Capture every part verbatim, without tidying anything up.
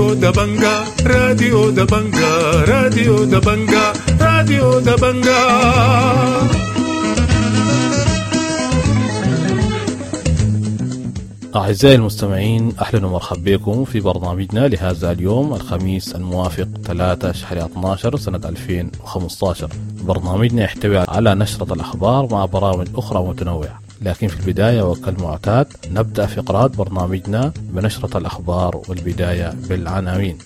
راديو دبنجا، راديو دبنجا، راديو دبنجا، راديو دبنجا. أعزائي المستمعين، أهلا ومرحبا بكم في برنامجنا لهذا اليوم الخميس الموافق ثلاثة شهر اثني عشر سنة ألفين وخمسة عشر. برنامجنا يحتوي على نشرة الأخبار مع برامج أخرى متنوعة، لكن في البداية وكالمعتاد نبدأ فقرات برنامجنا بنشرة الأخبار، والبداية بالعناوين.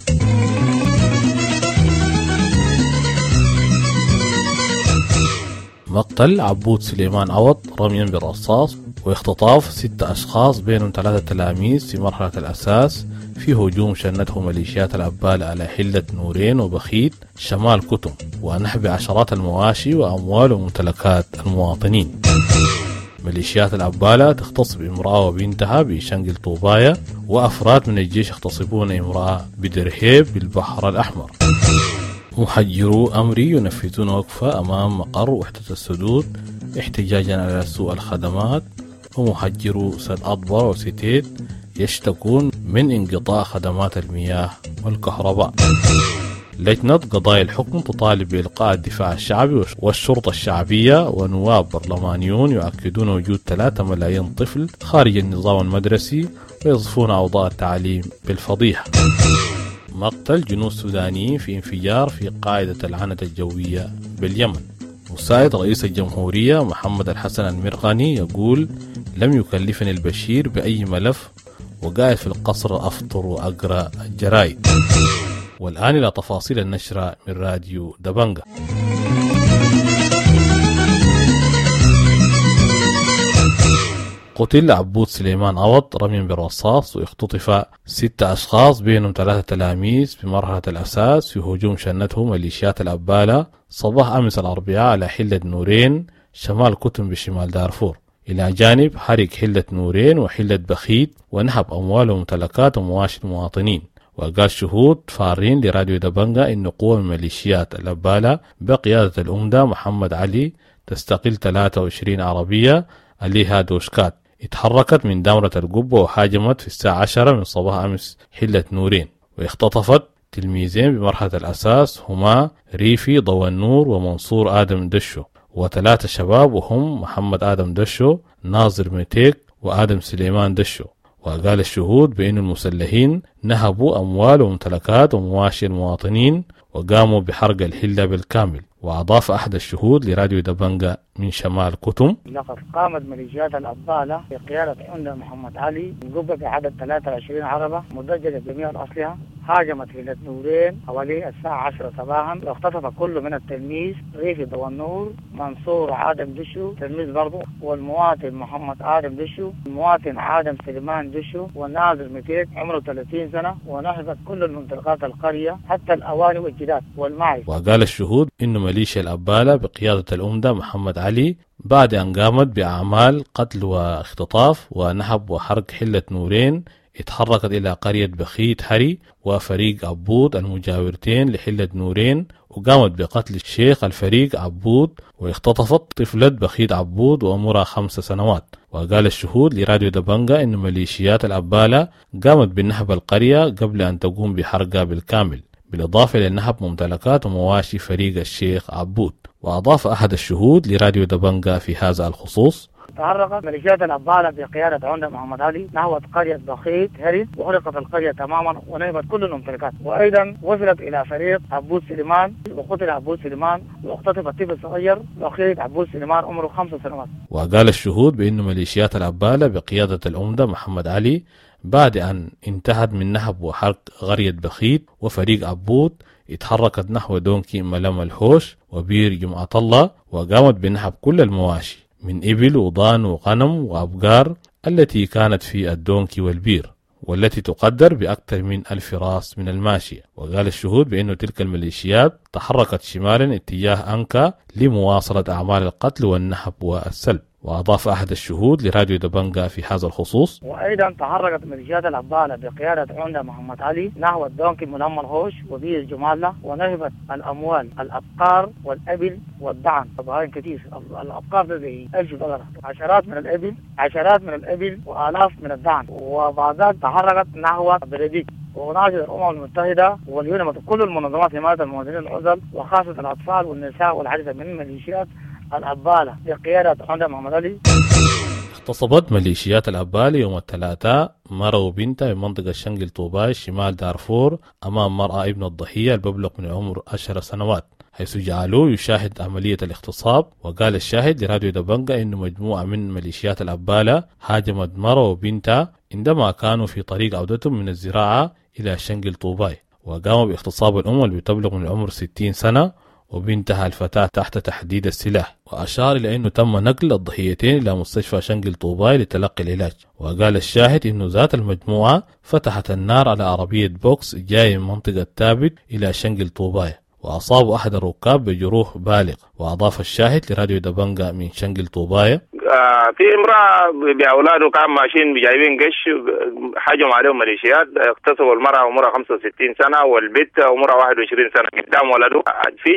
مقتل عبود سليمان عوض رميا بالرصاص واختطاف ستة أشخاص بينهم ثلاثة تلاميذ في مرحلة الأساس في هجوم شنته ميليشيات الأبالة على حلة نورين وبخيت شمال كتم، ونحب عشرات المواشي وأموال وممتلكات المواطنين. ميليشيات الأبالة تغتصب امرأة وبنتها بشنقل طوبايا، وأفراد من الجيش يغتصبون امرأة بدرهيب بالبحر الأحمر. محجرو أمري ينفذون وقفة أمام مقر وحدة السدود احتجاجا على سوء الخدمات، ومحجرو سد أطبر وستيت يشتكون من انقطاع خدمات المياه والكهرباء. لجنة قضايا الحكم تطالب بإلقاء الدفاع الشعبي والشرطة الشعبية، ونواب برلمانيون يؤكدون وجود ثلاثة ملايين طفل خارج النظام المدرسي ويصفون أوضاع التعليم بالفضيحة. مقتل جنود سودانيين في انفجار في قاعدة العنة الجوية باليمن. مساعد رئيس الجمهورية محمد الحسن المرغني يقول: لم يكلفني البشير بأي ملف، وقاعد في القصر أفطر وأقرأ الجرايد. والآن إلى تفاصيل النشرة من راديو دبنجا. قتل عبود سليمان عوض رميا بالرصاص واختطف ستة أشخاص بينهم ثلاثة تلاميذ في مرحلة الأساس في هجوم شنته ميليشيات الأبالة صباح أمس الأربعاء على حلة نورين شمال كتم بشمال دارفور، إلى جانب حرق حلة نورين وحلة بخيت ونهب أموال وممتلكات ومواشي المواطنين. وقال شهود فارين لراديو دبنجا إن قوة من ميليشيات الأبالة بقيادة الأمدة محمد علي تستقل ثلاثة وعشرين عربية عليها دوشكات اتحركت من دامرة القبة وهاجمت في الساعة عشرة من صباح أمس حلة نورين، واختطفت تلميذين بمرحلة الأساس هما ريفي ضوء النور ومنصور آدم دشو، وثلاثة شباب وهم محمد آدم دشو، ناظر ميتيك، وآدم سليمان دشو. وقال الشهود بأن المسلحين نهبوا أموال وممتلكات ومواشي المواطنين وقاموا بحرق الحلة بالكامل. وأضاف أحد الشهود لراديو دبنجا من شمال كتم: لقد قامت ميليشيات الأبطالة بقيادة عمدة محمد علي القبة بعدد ثلاثة وعشرين عربة مدججة بجميع الأسلحة هاجمت حلة نورين حوالي الساعة عشرة صباحا، واختطف كل من التلميذ ريفي ضوء النور، منصور آدم دشو تلميذ برضه، والمواطن محمد آدم دشو، المواطن آدم سليمان دشو، والناظر ميتيك عمره ثلاثين سنة، ونهبت كل الممتلكات القرية حتى الأواني والجداد والمعز. وقال الشهود إن ميليشيا الأبالة بقيادة الأمدة محمد علي بعد أن قامت بأعمال قتل واختطاف ونهب وحرق حلة نورين اتحركت إلى قرية بخيت هري وفريق عبود المجاورتين لحلة نورين، وقامت بقتل الشيخ الفريق عبود واختطفت طفلة بخيت عبود وعمرها خمس سنوات. وقال الشهود لراديو دبنجا إن ميليشيات الأبالة قامت بنهب القرية قبل أن تقوم بحرقها بالكامل، بالإضافة إلى نهب ممتلكات ومواشي فريق الشيخ عبود. وأضاف أحد الشهود لراديو دبنجا في هذا الخصوص: تحركت ميليشيات الأبالة بقيادة عمدة محمد علي نحو قرية بخيت هري وحرقت القرية تماما ونهبت كل الممتلكات، وأيضا وصلت إلى فريق عبود سليمان وقتل عبود سليمان واختطف الطفل الصغير بخيت عبود سليمان عمره خمس سنوات. وقال الشهود بأن ميليشيات الأبالة بقيادة العمدة محمد علي بعد أن انتهت من نهب وحرق قرية بخيت وفريق عبود اتحركت نحو دونكي ملم الحوش وبير جمعة الله وقامت بنهب كل المواشي من إبل وضان وغنم وأبقار التي كانت في الدونكي والبير، والتي تقدر بأكثر من ألف راس من الماشية. وقال الشهود بأن تلك الميليشيات تحركت شمالا اتجاه أنكا لمواصلة أعمال القتل والنهب والسلب. وأضاف أحد الشهود لراديو دبنجا في هذا الخصوص: وأيضا تحركت ميليشيات الأبالة بقيادة عمدة محمد علي نحو الدونكي ملم الهوش وبير جمالة، ونهبت الأموال الأبقار والأبل والدعم بهاين كثير. الأبقار ده زي ألف بقرة، عشرات من الأبل، عشرات من الأبل وآلاف من الدعم. وبعد ذلك تحركت نحو بلديك وناشد الأمم المتحدة واليونم كل المنظمات حماية المواطنين العزل وخاصة الأطفال والنساء والعديد من ميليشيات الأبالة بقيادة عمدة محمد علي. اغتصبت ميليشيات الأبالة يوم الثلاثاء مرة وبنتها من منطقة شنقل طوباي شمال دارفور أمام مرأى ابن الضحية الببلغ من عمر عشر سنوات، حيث جعلوه يشاهد عملية الاغتصاب. وقال الشاهد لراديو دبنجا إنه مجموعة من ميليشيات الأبالة هاجمت مرة وبنتها عندما كانوا في طريق عودتهم من الزراعة إلى شنقل طوباي، وقاموا باغتصاب الأم اللي بتبلغ من العمر ستين سنة وبنتها الفتاة تحت تحديد السلاح. وأشار إلى أنه تم نقل الضحيتين إلى مستشفى شنقل طوباي لتلقي العلاج. وقال الشاهد أنه ذات المجموعة فتحت النار على عربية بوكس جاي من منطقة تابت إلى شنقل طوباي، وأصاب أحد الركاب بجروح بالغ. وأضاف الشاهد لراديو دبنجا من شنقل طوباي: آه في امرأة بأولاده كان ماشيين جايبين قش، حجموا عليهم ميليشيات، اغتصبوا المرأة عمرها خمسة وستين سنة والبنت عمرها واحد وعشرين سنة قدام ولده. في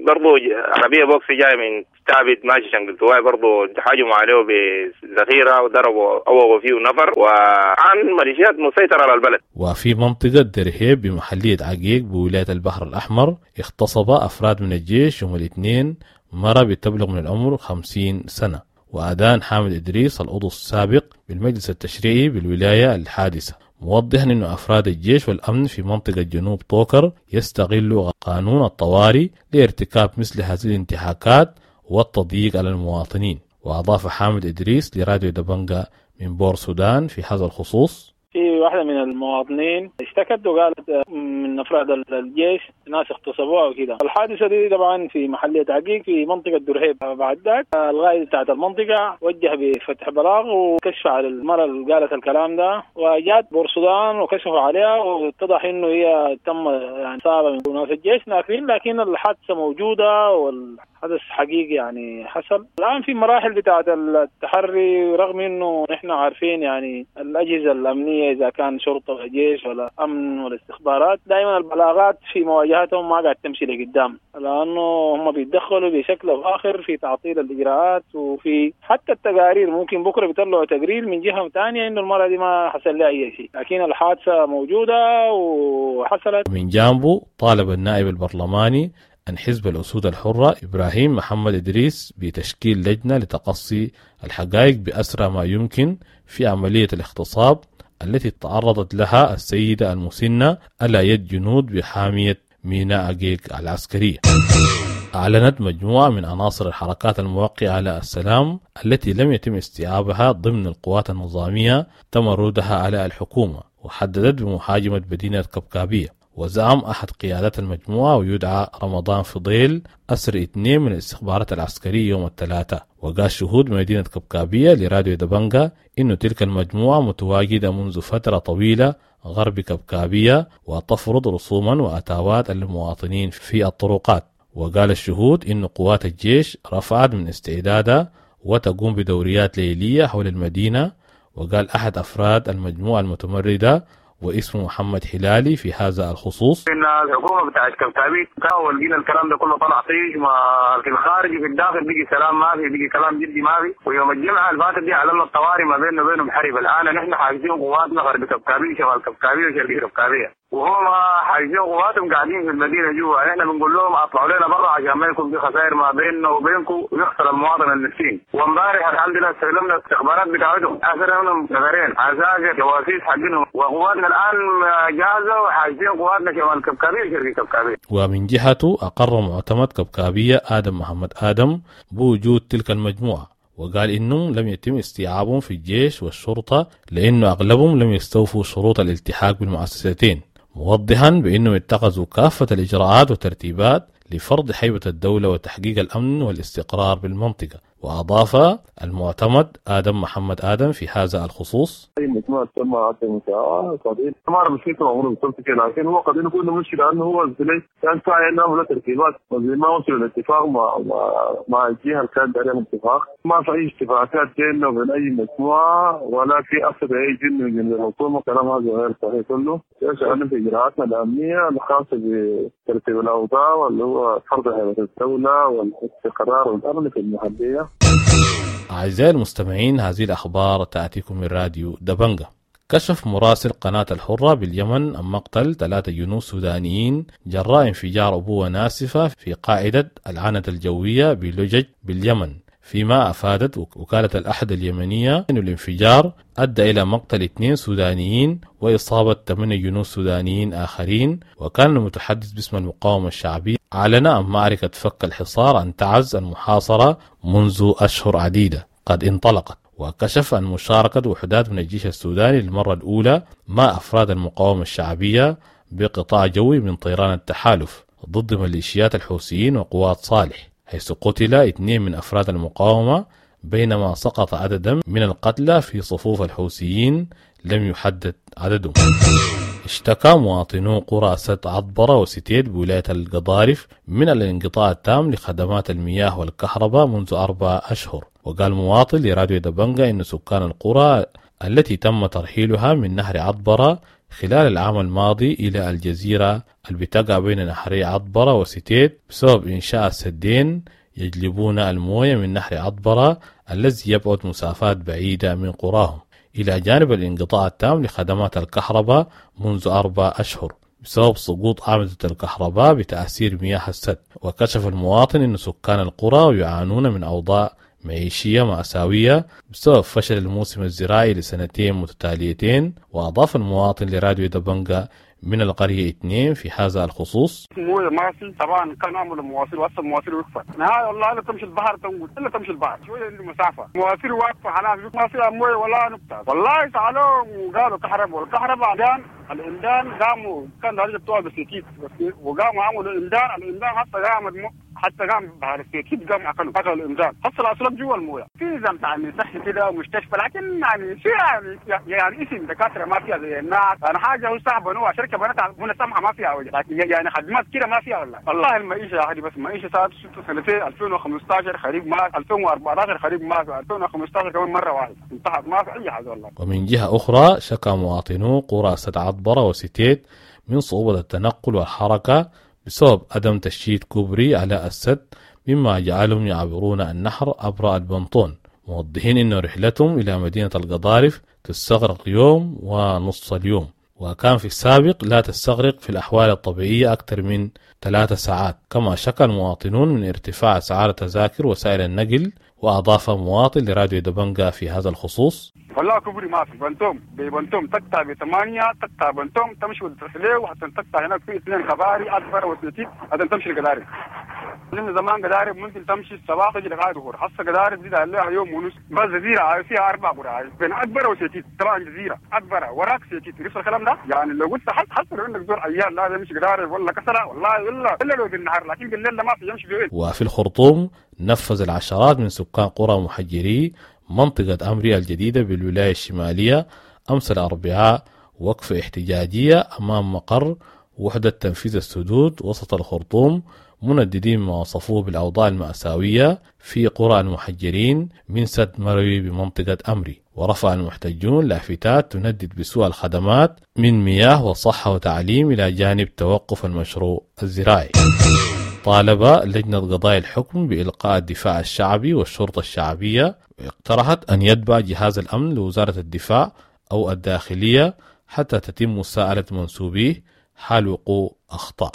برضه عربية بوكس جاية من تابت ماشي شنقل طوباي برضه حجموا عليه بذخيرة وضربوا أوغوا فيه نفر، وعن ميليشيات مسيطرة على البلد. وفي منطقة درهيب بمحلية عقيق بولاية البحر الأحمر اغتصب أفراد من الجيش يوم الاثنين مرة بتبلغ من العمر خمسين سنة. وأدان حامد إدريس العضو السابق بالمجلس التشريعي بالولاية الحادثة، موضحا أن أفراد الجيش والأمن في منطقة جنوب طوكر يستغلوا قانون الطوارئ لارتكاب مثل هذه الانتهاكات والتضييق على المواطنين. وأضاف حامد إدريس لراديو دبنجا من بور سودان في هذا الخصوص: في واحدة من المواطنين اشتكت وقالت من أفراد الجيش ناس اغتصبوها وكده. الحادثة دي طبعا في محلية عقيق في منطقة درهيب. بعد ذاك الغايد بتاعت المنطقة وجه بفتح بلاغ وكشف على المرأة اللي قالت الكلام ده، وجات بورسودان وكشفوا عليها واتضح انه هي تم يعني اصابة من ناس الجيش ناكرين، لكن الحادثة موجودة والحدث حقيقي يعني حصل. الآن في مراحل بتاعت التحري، رغم انه نحن عارفين يعني الأجهزة الأمنية إذا كان شرطة ولا جيش ولا أمن ولا استخبارات دائما البلاغات في مواجهتهم ما قاعد تمشي لقدام، لأنه هم بيتدخلوا بشكل أو آخر في تعطيل الإجراءات وفي حتى التقارير. ممكن بكرة بيطلعوا تقرير من جهة ثانية إنه المرة دي ما حصل لها أي شيء، لكن الحادثة موجودة وحصلت. من جانبه طالب النائب البرلماني عن حزب الأسود الحرة إبراهيم محمد إدريس بتشكيل لجنة لتقصي الحقائق بأسرع ما يمكن في عملية الاغتصاب التي تعرضت لها السيدة المسنة على يد جنود بحامية ميناء عقيق العسكرية. أعلنت مجموعة من عناصر الحركات الموقعة على السلام التي لم يتم استيعابها ضمن القوات النظامية تمردها على الحكومة، وحددت بمهاجمة مدينة كبكابية. وزعم أحد قيادات المجموعة ويدعى رمضان فضيل أسر اثنين من الاستخبارات العسكرية يوم الثلاثاء. وقال شهود مدينة كبكابية لراديو دبنجا إن تلك المجموعة متواجدة منذ فترة طويلة غرب كبكابية وتفرض رسوما وأتاوات للمواطنين في الطرقات. وقال الشهود إن قوات الجيش رفعت من استعدادها وتقوم بدوريات ليلية حول المدينة. وقال أحد أفراد المجموعة المتمردة واسمه محمد حلالي في هذا الخصوص: إن الحكومة بتاعت كبكابية ولقينا الكلام ده كله طلع طيش، ما في الخارج وفي الداخل بيجي سلام ما في، بيجي كلام جدي ما في. ويوم الجمعة اللي فاتت دي اعلنا الطوارئ ما بيننا وبينهم حرب. الآن نحن حاجزين قواتنا غرب كبكابية شمال كبكابية وشرق كبكابية، وهم حاجزين قواتهم قاعدين في المدينة جوا. احنا بنقول لهم اطلعوا لنا برا عشان ما يكون في خسائر ما بيننا وبينكم ويخسر المواطن المسكين. وامبارح الحمد لله استلمنا الاستخبارات بتاعتهم، اثرنا نفرين عساكر جواسيس حقهم، وقواتنا الان جاهزة وحاجزين قواتنا شمال كبكابية وشرق كبكابية. ومن جهته اقر معتمد كبكابية ادم محمد ادم بوجود تلك المجموعة، وقال إنهم لم يتم استيعابهم في الجيش والشرطة لأنه أغلبهم لم يستوفوا شروط الالتحاق بالمؤسستين، موضحا بأنهم اتخذوا كافة الإجراءات والترتيبات لفرض هيبة الدولة وتحقيق الأمن والاستقرار بالمنطقة. وأضاف المعتمد آدم محمد آدم في هذا الخصوص: أي مجموعة تم عدم مساواة قضية ما أعرف مشكلته معمولة بالضبط كده، لكن هو قضية يكون مشكلة لأنه هو كان ساعي إنه ترتيبات ما وصل للاتفاق مع مع الجهة اللي كانت عليها اتفاق. ما في أي اتفاقات بيننا وبين أي مجموعة ولا في أخذ أي جن من الحكومة، كلام هذا غير صحيح كله. شغالين في إجراءاتنا الأمنية الخاصة بترتيب الأوضاع واللي هو فرض هيبة الدولة والاستقرار والأمن في المحلية. أعزائي المستمعين، هذه الأخبار تأتيكم من راديو دبنجة. كشف مراسل قناة الحرة باليمن عن مقتل ثلاثة جنود سودانيين جراء انفجار أبوة ناسفة في قاعدة العنة الجوية بلجج باليمن، فيما أفادت وكالة الأحد اليمنية أن الانفجار أدى إلى مقتل اثنين سودانيين وإصابة ثمانية جنود سودانيين آخرين. وكان المتحدث باسم المقاومة الشعبية أعلن عن معركة فك الحصار عن تعز المحاصرة منذ أشهر عديدة قد انطلقت. وكشف عن مشاركة وحدات من الجيش السوداني للمرة الأولى مع أفراد المقاومة الشعبية بقطاع جوي من طيران التحالف ضد ميليشيات الحوثيين وقوات صالح، حيث قتل اثنين من أفراد المقاومة، بينما سقط عددا من القتلى في صفوف الحوثيين لم يحدد عددهم. اشتكى مواطنو قرى سد عطبرة وستيت بولاية القضارف من الانقطاع التام لخدمات المياه والكهرباء منذ أربع أشهر. وقال مواطن لراديو دبنجة إن سكان القرى التي تم ترحيلها من نهر عطبرة خلال العام الماضي إلى الجزيرة اللي بتقع بين نهري عطبرة وستيت بسبب إنشاء السدين يجلبون الموية من نهر عطبرة الذي يبعد مسافات بعيدة من قراهم، إلى جانب الانقطاع التام لخدمات الكهرباء منذ أربع أشهر بسبب سقوط أعمدة الكهرباء بتأثير مياه السد. وكشف المواطن أن سكان القرى يعانون من أوضاع معيشية مأساوية بسبب فشل الموسم الزراعي لسنتين متتاليتين. وأضاف المواطن لراديو دبنجة من القرية اثنين في هذا الخصوص: مويه ما في طبعا، كان عملوا مواصير وصل مواصير وقفت نهاية والله، لا تمشي البحر تنقل الا تمشي البحر شويه المسافه، مواصير واقفه على ما فيها مويه ولا نقطه والله. سالوهم وقالوا كهرباء، والكهرباء عندان الامدان قاموا كان درجه بتوع بسيكيت وقاموا عملوا الامدان، الامدان حتى قامت حتى قام بحر السيكيت قام اكلوا اكلوا الامدان، حصل اصلا جوا المويه في نظام يعني صحي كده مستشفى، لكن يعني في يعني يعني اسم دكاتره ما فيها زي الناس. انا حاجه هو صعب انه شركه بنات هنا سمحه ما فيها وجه، لكن يعني خدمات كده ما فيها والله. والله المعيشه هذه بس المعيشه صارت ست سنتين ألفين وخمسة عشر خريف ما ألفين وأربعة عشر خريف ما في ألفين وخمسة عشر كمان مره واحده انتهت ما في اي حاجه والله. ومن جهه اخرى شكا مواطنو قرى سد عطبرة وستيت من صعوبه التنقل والحركه بسبب عدم تشييد كوبري على السد، مما جعلهم يعبرون النهر عبر البنطون، موضحين أن رحلتهم إلى مدينة القضارف تستغرق يوم ونص اليوم، وكان في السابق لا تستغرق في الأحوال الطبيعية أكثر من ثلاث ساعات. كما شكى المواطنون من ارتفاع أسعار تذاكر وسائل النقل. وأضاف مواطن لراديو دبنجة في هذا الخصوص: والله كوبري ما في، بنتوم ببنتوم تقطع بثمانية تقطع بنتوم تمشي وترحليه وحتى تقطع هناك في اثنين كباري أكبر وثلاثين حتى تمشي القدارب. لأن زمان قدارب ممكن تمشي الصباح تجي لغاية الظهر، حتى قدارب دي عليها يوم ونص. بس جزيرة فيها أربع قرى بين أكبر وسيتيت، طبعا جزيرة أكبر وراك سيتيت نفس الكلام ده. يعني لو قلت حتى حتى لو عندك زور عيال لا يمشي قدارب ولا كسرة والله إلا إلا لو بالنهار، لكن بالليل ما في يمشي في. وفي الخرطوم نفذ العشرات من سكان قرى محجري منطقة أمريا الجديدة بالولاية الشمالية أمس الأربعاء وقفة احتجاجية أمام مقر وحدة تنفيذ السدود وسط الخرطوم، منددين ما وصفوه بالأوضاع المأساوية في قرى المحجرين من سد مروي بمنطقة أمري. ورفع المحتجون لافتات تندد بسوء الخدمات من مياه وصحة وتعليم إلى جانب توقف المشروع الزراعي. طالب لجنة قضايا الحكم بإلقاء الدفاع الشعبي والشرطة الشعبية، واقترحت أن يتبع جهاز الأمن لوزارة الدفاع أو الداخلية حتى تتم مساءلة منسوبيه حال وقوع أخطاء.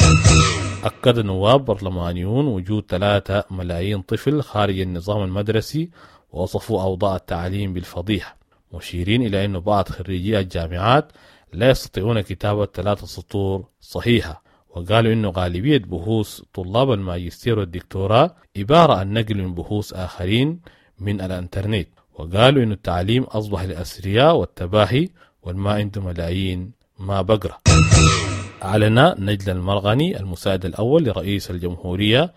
أكد نواب برلمانيون وجود ثلاثة ملايين طفل خارج النظام المدرسي، ووصفوا أوضاع التعليم بالفضيحة، مشيرين إلى أن بعض خريجي الجامعات لا يستطيعون كتابة ثلاثة سطور صحيحة. وقالوا إنه غالبية بحوث طلاب الماجستير والدكتوراه عبارة عن نقل من بحوث آخرين من الانترنت. وقالوا إنه التعليم أصبح للأثرياء والتباهي، والما عنده ملايين ما بقرأ. أعلن نجل المرغني المساعد الأول لرئيس الجمهورية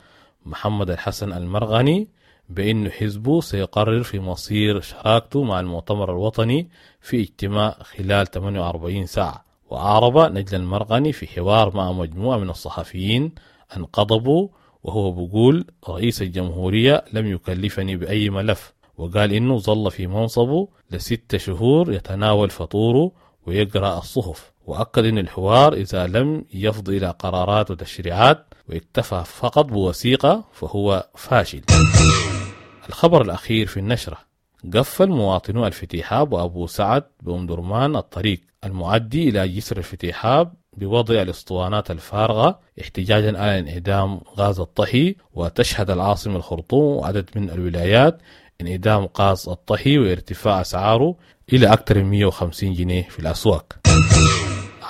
محمد الحسن المرغني بأن حزبه سيقرر في مصير شراكته مع المؤتمر الوطني في اجتماع خلال ثمانية وأربعين ساعة. وأعرب نجل المرغني في حوار مع مجموعة من الصحفيين أن غضبوا، وهو بيقول رئيس الجمهورية لم يكلفني بأي ملف، وقال إنه ظل في منصبه لست شهور يتناول فطوره ويقرأ الصحف، وأكد أن الحوار إذا لم يفض إلى قرارات وتشريعات واكتفى فقط بوثيقة فهو فاشل. الخبر الأخير في النشرة: قفل مواطنو الفتيحاب وأبو سعد بأم درمان الطريق المؤدي إلى جسر الفتيحاب بوضع الاسطوانات الفارغة احتجاجا على انعدام غاز الطهي. وتشهد العاصمة الخرطوم وعدد من الولايات انعدام غاز الطهي وارتفاع أسعاره إلى أكثر من مئة وخمسين جنيه في الأسواق.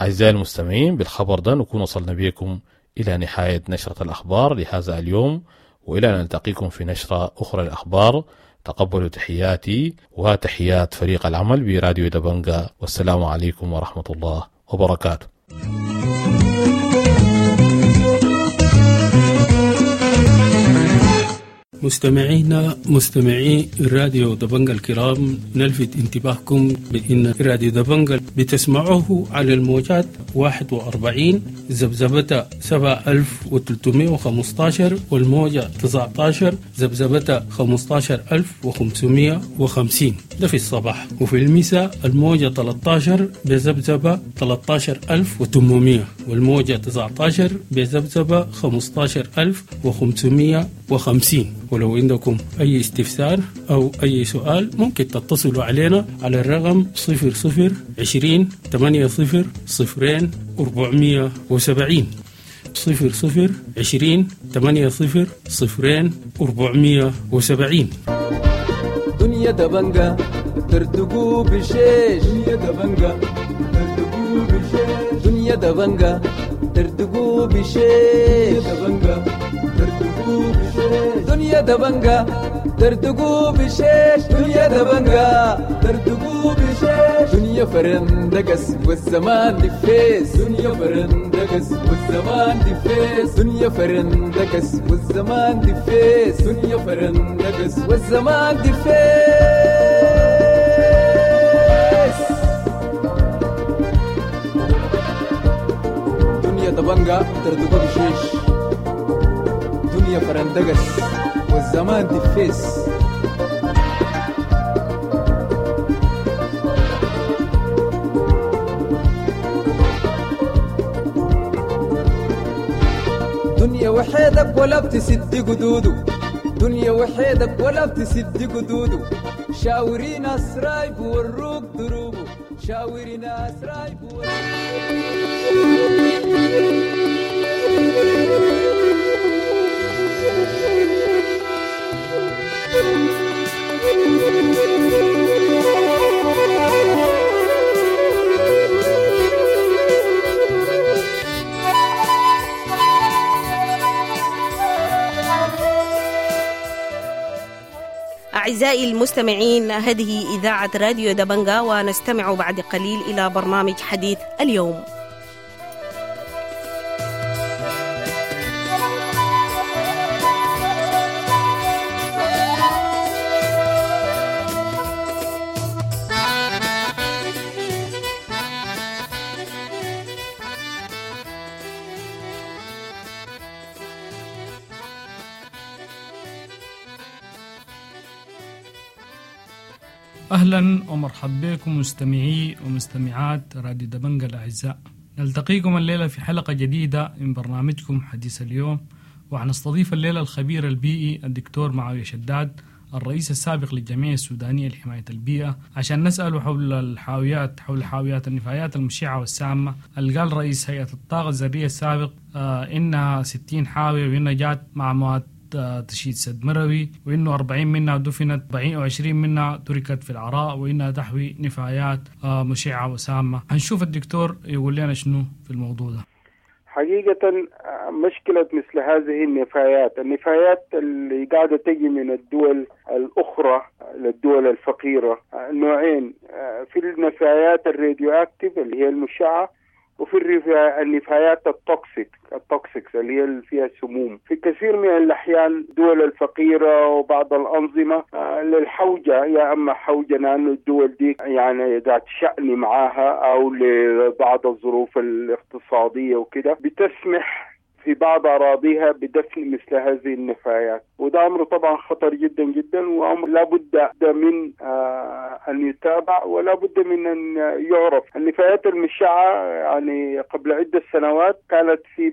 أعزائي المستمعين، بالخبر ده نكون وصلنا بكم إلى نهاية نشرة الأخبار لهذا اليوم، وإلى أن نلتقيكم في نشرة أخرى للأخبار. تقبلوا تحياتي وتحيات فريق العمل براديو دبنجا، والسلام عليكم ورحمة الله وبركاته. مستمعينا مستمعي راديو دبنجا الكرام، نلفت انتباهكم بأن راديو دبنجا بتسمعوه على الموجات واحد وأربعين ذبذبة سبعة ألف وثلاثمائة وخمسة عشر والموجة تسعة عشر ذبذبة خمسة عشر ألف وخمسمائة وخمسين، ده في الصباح، وفي المساء الموجة ثلاثة عشر بذبذبة ثلاثة عشر ألف وثمانمائة والموجة تسعة عشر بذبذبة خمسة عشر ألف وخمسمائة وخمسين. ولو عندكم أي استفسار أو أي سؤال ممكن تتصلوا علينا على الرقم صفر صفر عشرين ثمانية صفر صفرين أربعمية وسبعين، صفر صفر عشرين ثمانية صفر صفرين أربعمية وسبعين. دنيا دبنجا ترتقو بشيش، دنيا دبنجا ترتقو بشيش، دنيا دبنجا ترتقو بشيش، دبنجا ترتقو بشيش، دنيا دبنجا ترتقو بشيش، دنيا دبنجا ترتقو بشيش، دنيا فرندقس والزمان دفيس، دنيا فرندقس والزمان دفيس، دنيا فرندقس والزمان دفيس، دنيا فرندقس والزمان دفيس. دنيا دبنجا ترتقو بشيش، دنيا فرندقس والزمان دفيس. دنيا وحيدك ولا بتسد قدوده، دنيا وحيدك ولا بتسد قدوده، شاوري ناس رايب وروك دروبه، شاوري ناس رايب وروك. أعزائي المستمعين، هذه إذاعة راديو دبنجا، ونستمع بعد قليل إلى برنامج حديث اليوم. أهلا ومرحبا بكم مستمعي ومستمعات راديو دبنجا الأعزاء. نلتقيكم الليلة في حلقة جديدة من برنامجكم حديث اليوم، وحنستضيف الليلة الخبير البيئي الدكتور معاوية شداد، الرئيس السابق للجمعية السودانية لحماية البيئة، عشان نسأله حول الحاويات حول حاويات النفايات المشعة والسامة اللي قال رئيس هيئة الطاقة الذرية السابق آه إنها ستين حاوية وإنها جات مع مواد تشييد سد مروي، وإنه أربعين منها دفنت، أربعين وعشرين منها تركت في العراء، وإنها تحوي نفايات مشعة وسامة. هنشوف الدكتور يقول لنا شنو في الموضوع ده. حقيقة مشكلة مثل هذه النفايات، النفايات اللي قاعدة تجي من الدول الأخرى للدول الفقيرة، نوعين: في النفايات ال radioactive اللي هي المشعة، وفي النفايات ال toxic ال toxics اللي هي فيها سموم. في كثير من الأحيان الدول الفقيرة وبعض الأنظمة للحوجة، يا أما حوجة لأنه الدول دي يعني ذات شأن معاها أو لبعض الظروف الاقتصادية وكده، بتسمح في بعض أراضيها بدفن مثل هذه النفايات، وده أمر طبعا خطر جدا جدا، وأمر لا بد من آه أن يتابع ولا بد من أن يعرف. النفايات المشعة يعني قبل عدة سنوات كانت في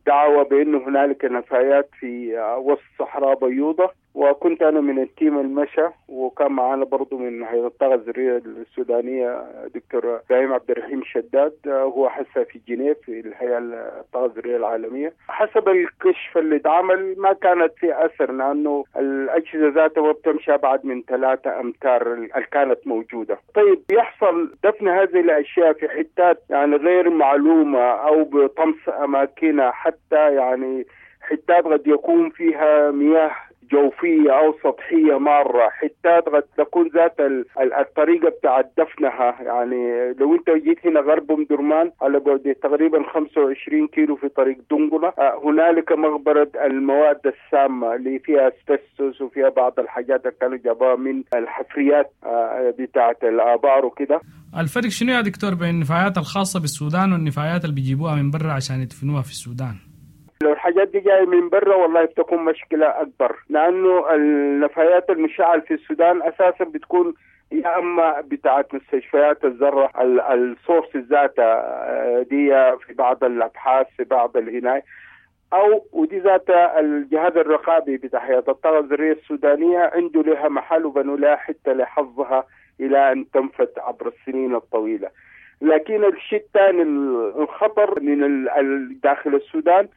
دعوة بأنه هنالك نفايات في وسط صحراء بيوضة، وكنت أنا من ال team المشى، وكان معنا برضو من هيئة الطاقة الذرية السودانية دكتور إبراهيم عبد الرحيم شداد، هو حسا في جنيف في الهيئة الطاقة الذرية العالمية. حسب الكشف اللي اتعمل ما كانت في أثر، لأنه الأجهزة ذاتها ما بتمشي أبعد من ثلاثة أمتار اللي كانت موجودة. طيب يحصل دفن هذه الأشياء في حتات يعني غير معلومة أو بطمس أماكنها، حتى يعني حتات قد يكون فيها مياه جوفية أو سطحية مارة، حتات قد تكون ذات الطريقة بتاعت دفنها. يعني لو أنت جيت هنا غرب أم درمان على بعد تقريبا خمسة وعشرين كيلو في طريق دنقلة، هنالك مغبرة المواد السامة اللي فيها اسبستوس وفيها بعض الحاجات اللي كانوا جابوها من الحفريات بتاعت الآبار وكده. الفرق شنو يا دكتور بين النفايات الخاصة بالسودان والنفايات اللي بيجيبوها من برا عشان يدفنوها في السودان؟ لو الحاجات دي جاية من برا والله بتكون مشكلة أكبر، لأنه النفايات المشعة في السودان أساسا بتكون يا أما بتاعت مستشفيات الذرة، السورس ذاتها دي في بعض الأبحاث في بعض الهناية، أو ودي ذات الجهاز الرقابي بتاع هيئة الطاقة الذرية السودانية عنده لها محل وبنوا لها حتى لحظها إلى أن تنفت عبر السنين الطويلة. لكن الشيء الثاني الخطر من داخل السودان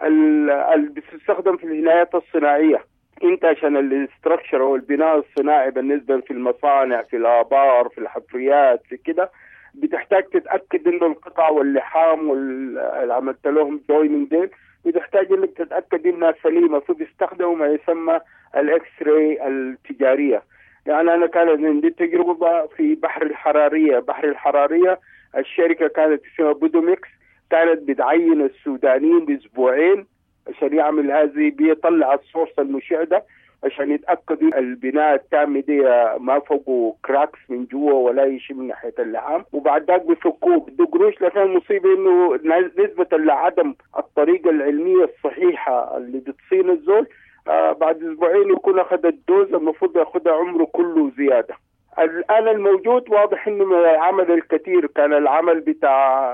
اللي بتستخدم في الهنايات الصناعية. انت عشان ال structure او البناء الصناعي بالنسبة في المصانع في الآبار في الحفريات في كده، بتحتاج تتأكد انه القطع واللحام واللي عملت لهم joining ديل بتحتاج انك تتأكد انها سليمة، فبيستخدموا ما يسمى ال X-ray التجارية. يعني انا كانت عندي تجربة في بحر الحرارية، بحر الحرارية الشركة كانت اسمها بودوميكس، كانت بتعين السودانيين باسبوعين عشان يعمل هذه، بيطلع ال source المشع ده عشان يتاكدوا البناء التام دي ما فوقه cracks من جوا ولا شيء من ناحيه اللحام، وبعد ذاك بيفكوه بده قروش. لكن المصيبه انه نسبه لعدم الطريقه العلميه الصحيحه اللي بتصين الزول، آه بعد اسبوعين يكون اخذ ال dose المفروض ياخذها عمره كله زياده. الآن الموجود واضح إنه العمل الكثير كان العمل بتاع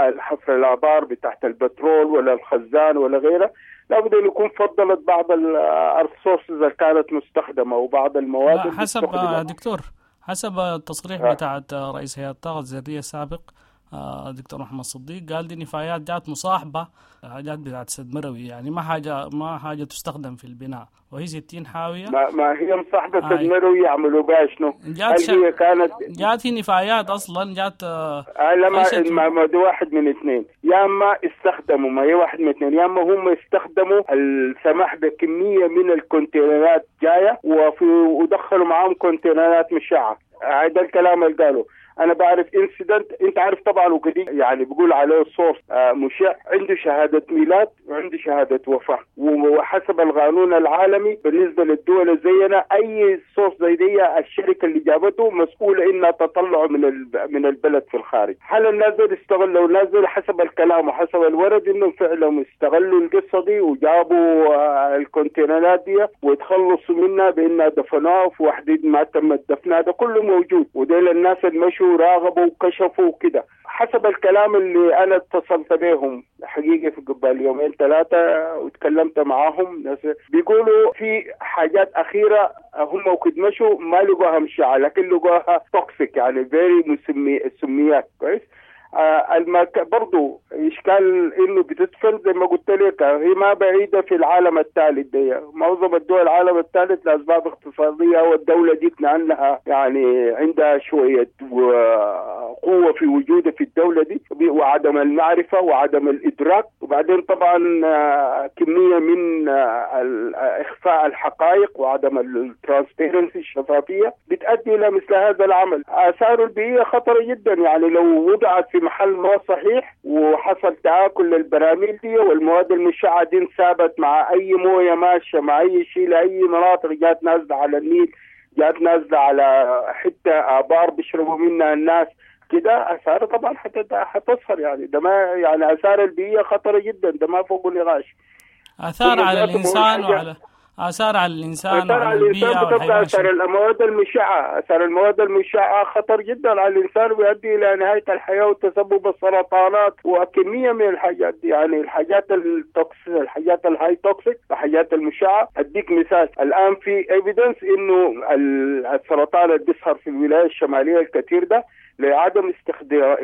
الحفر الآبار بتاعت البترول ولا الخزان ولا غيره، لابد أن يكون فضلت بعض ال sources اللي كانت مستخدمة وبعض المواد. حسب دكتور، حسب التصريح آه. بتاعت رئيس هيئة الطاقة الذرية السابق دكتور محمد صديق، قال دي نفايات جات مصاحبة حاجات بتاعت سد مروي، يعني ما حاجة ما حاجة تستخدم في البناء، وهي ستين حاوية. ما, ما هي مصاحبة سد مروي يعملوا بها شنو؟ جات هي كانت جات هي نفايات أصلا جات آه لما ما, ما ده واحد من اثنين، يا اما استخدموا، ما هي واحد من اثنين، يا اما هم استخدموا السماح بكمية من الكونتينرات جاية وفي ودخلوا معاهم كونتينرات مشعة. هذا الكلام اللي قالوا. انا بعرف incident، انت عارف طبعا وكده، يعني بيقول عليه source مشع، عنده شهاده ميلاد وعنده شهاده وفاه، وحسب القانون العالمي بالنسبه للدول زينا اي source زي دي الشركه اللي جابته مسؤوله انها تطلعه من من البلد في الخارج. هل الناس دول استغلوا؟ الناس دول حسب الكلام وحسب الورد انهم فعلا استغلوا القصه دي وجابوا الكونتينرات دي وتخلصوا منها بانها دفنوها في وحديد ما تم دفنها، ده كله موجود، وديل الناس اللي مشوا راغبوا وكشفوا وكده. حسب الكلام اللي انا اتصلت بهم حقيقه في قبل يومين ثلاثه وتكلمت معاهم، ناس بيقولوا في حاجات اخيره هم وكد مشوا ما لقوها مشعه، لكن لقوها toxic، يعني very سميات. كويس. آه المك... برضو إشكال إنه بتدفن زي ما قلت لك، هي ما بعيدة في العالم الثالث دي، معظم الدول العالم الثالث لأسباب اقتصادية، والدولة دي لأنها يعني عندها شوية قوة في وجودها في الدولة دي، وعدم المعرفة وعدم الإدراك، وبعدين طبعا كمية من إخفاء الحقائق وعدم ال transparency الشفافية بتؤدي إلى مثل هذا العمل. آثاره البيئية خطرة جدا، يعني لو وضعت في محل ما صحيح وحصل تآكل للبراميل دي، والمواد المشعة دي انسابت مع أي موية ماشية مع أي شيء لأي مناطق، جات نازلة على النيل، جات نازلة على حتة آبار بيشربوا منها الناس كده، آثار طبعا حتظهر. يعني ده ما يعني آثار البيئية خطرة جدا، ده ما فوق النقاش. آثار على الإنسان وعلى آثار على الإنسان وعلى البيئة والحيوان. آثار المواد المشعة، آثار المواد المشعة خطر جدا على الإنسان ويؤدي إلى نهاية الحياة وتسبب السرطانات وكمية من الحاجات دي. يعني الحاجات ال toxic، الحاجات ال high toxic، الحاجات المشعة. أديك مثال، الآن في evidence إنه السرطان اللي بيظهر في الولاية الشمالية الكثير ده لعدم استخدام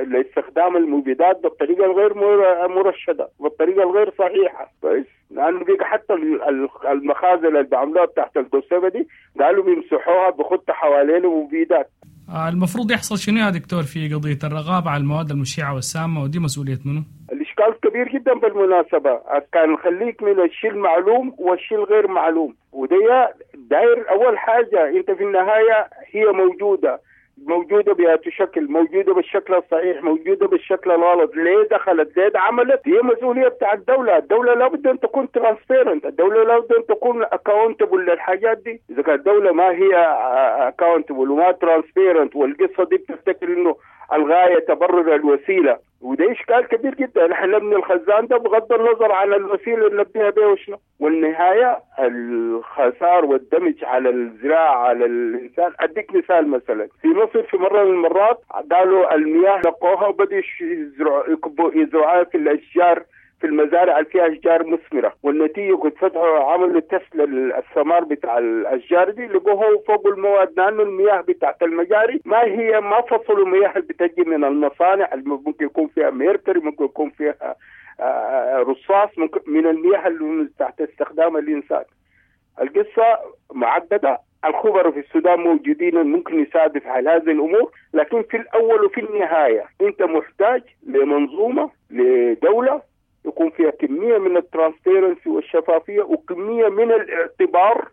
لاستخدام المبيدات بالطريقة الغير مرشده، بالطريقة الغير صحيحه. كويس، لانه بيجي حتى المخازن اللي بيعملوها تحت القصبة دي قالوا بيمسحوها بخط حوالين مبيدات. المفروض يحصل شنو يا دكتور في قضية الرقابة على المواد المشعه والسامه، ودي مسؤولية منه؟ الاشكال كبير جدا بالمناسبة، كان خليك من الشيء المعلوم والشيء الغير معلوم، ودي داير اول حاجة انت في النهاية هي موجودة، موجودة بأي شكل، موجودة بالشكل الصحيح، موجودة بالشكل الغلط، ليه دخلت، ليه عملت، هي مسؤولية بتاع الدولة. الدولة لابد أن تكون transparent، الدولة لابد أن تكون accountable للحاجات دي. إذا كانت الدولة ما هي accountable وما transparent، والقصة دي بتفتكر إنه الغاية تبرر الوسيلة، وده إشكال كبير جدا. نحن نبني الخزان ده بغض النظر عن الوسيلة اللي نبنيها بها وشنو، والنهاية الخسار والدمج على الزراعة على الإنسان. أديك مثال، مثلا في مصر في مرة من المرات قالوا المياه لقوها وبدأوا يزرعوا يزرعوها في الأشجار، في المزارع اللي فيها أشجار مثمرة، والنتيجة كنت فتحوا عملوا تست للثمار بتاع الأشجار دي لقوه فوق المواد، لأنه المياه بتاعت المجاري ما هي ما فصلوا المياه اللي بتجي من المصانع اللي ممكن يكون فيها mercury، ممكن يكون فيها رصاص، ممكن من المياه اللي تحت استخدام الإنسان. القصة معقدة، الخبراء في السودان موجودين ممكن يساعدوا في حل هذه الأمور، لكن في الأول وفي النهاية أنت محتاج لمنظومة، لدولة يكون فيها كمية من ال transparency والشفافية وكمية من الاعتبار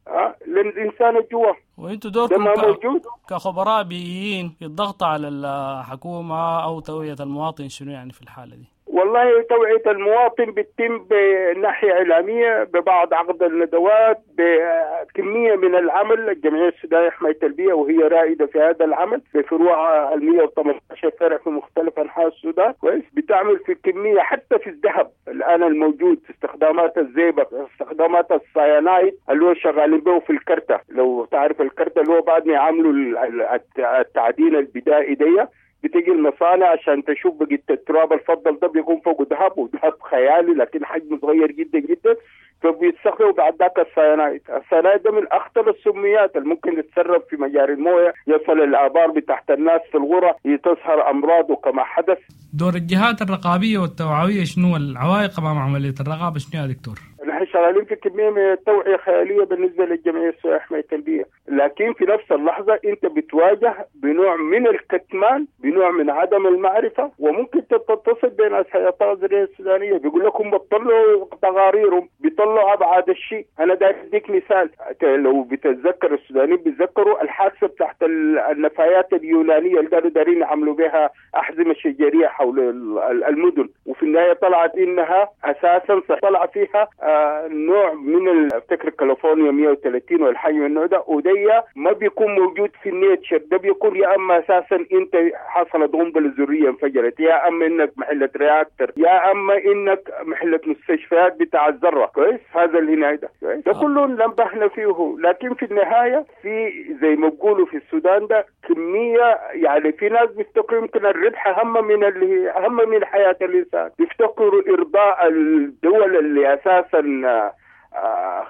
للإنسان الجوا. وانتوا دوركم ك... كخبراء بيئيين في الضغط على الحكومة أو توعية المواطن شنو يعني في الحالة دي؟ والله توعية المواطن بتتم بناحية إعلامية، ببعض عقد الندوات، بكمية من العمل. الجمعية السودانية لحماية البيئة وهي رائدة في هذا العمل بفروع المئة وثمانية عشر فرع في مختلف أنحاء السودان. كويس، بتعمل في كمية حتى في الذهب الآن الموجود في استخدامات الزئبق، استخدامات السيانايد اللي هو شغالين به في الكرتة. لو تعرف الكرتة اللي هو بعد ما يعملوا التعدين البدائي دي بتيجي المصانع عشان تشوف بقية التراب الفضل ده بيكون فوقه ذهب، وذهب خيالي لكن حجمه صغير جدا جدا، فبيستخدموا بعد ذاك السيانايد. السيانايد ده من اخطر السميات اللي ممكن يتسرب في مجاري المويه، يصل الابار بتحت الناس في الغرة، تظهر امراض كما حدث. دور الجهات الرقابية والتوعويه شنو، العوائق امام عملية الرقابة شنو يا دكتور؟ نحن شغالين في كمية من التوعية خيالية بالنسبة للجمعية السودانية لحماية البيئة، لكن في نفس اللحظة أنت بتواجه بنوع من الكتمان، بنوع من عدم المعرفة، وممكن تتصل بين الهيئة الزراعية السودانية بيقول لكم بيطلعوا تقاريرهم، بيطلعوا أبعاد الشيء. أنا داير أديك مثال، لو بتتذكر السودانيين بيتذكروا الحادثة بتاعت النفايات اليونانية اللي قالوا دارين يعملوا بها أحزمة شجرية حول المدن، وفي النهاية طلعت إنها أساسا طلع فيها نوع من افتكر كاليفورنيا مئة وثلاثين والحي من النوع ده، ودي ما بيكون موجود في ال nature. ده بيكون يا اما اساسا انت حصلت قنبلة ذرية انفجرت، يا اما انك محله reactor، يا اما انك محله مستشفيات بتاع الذرة. كويس، هذا اللي هنا ده ده كله نبهنا فيه، لكن في النهاية في زي ما بيقولوا في السودان ده كمية، يعني في ناس بيفتكروا يمكن الربح اهم من اللي اهم من حياة الانسان، بيفتكروا ارضاء الدول اللي اساسا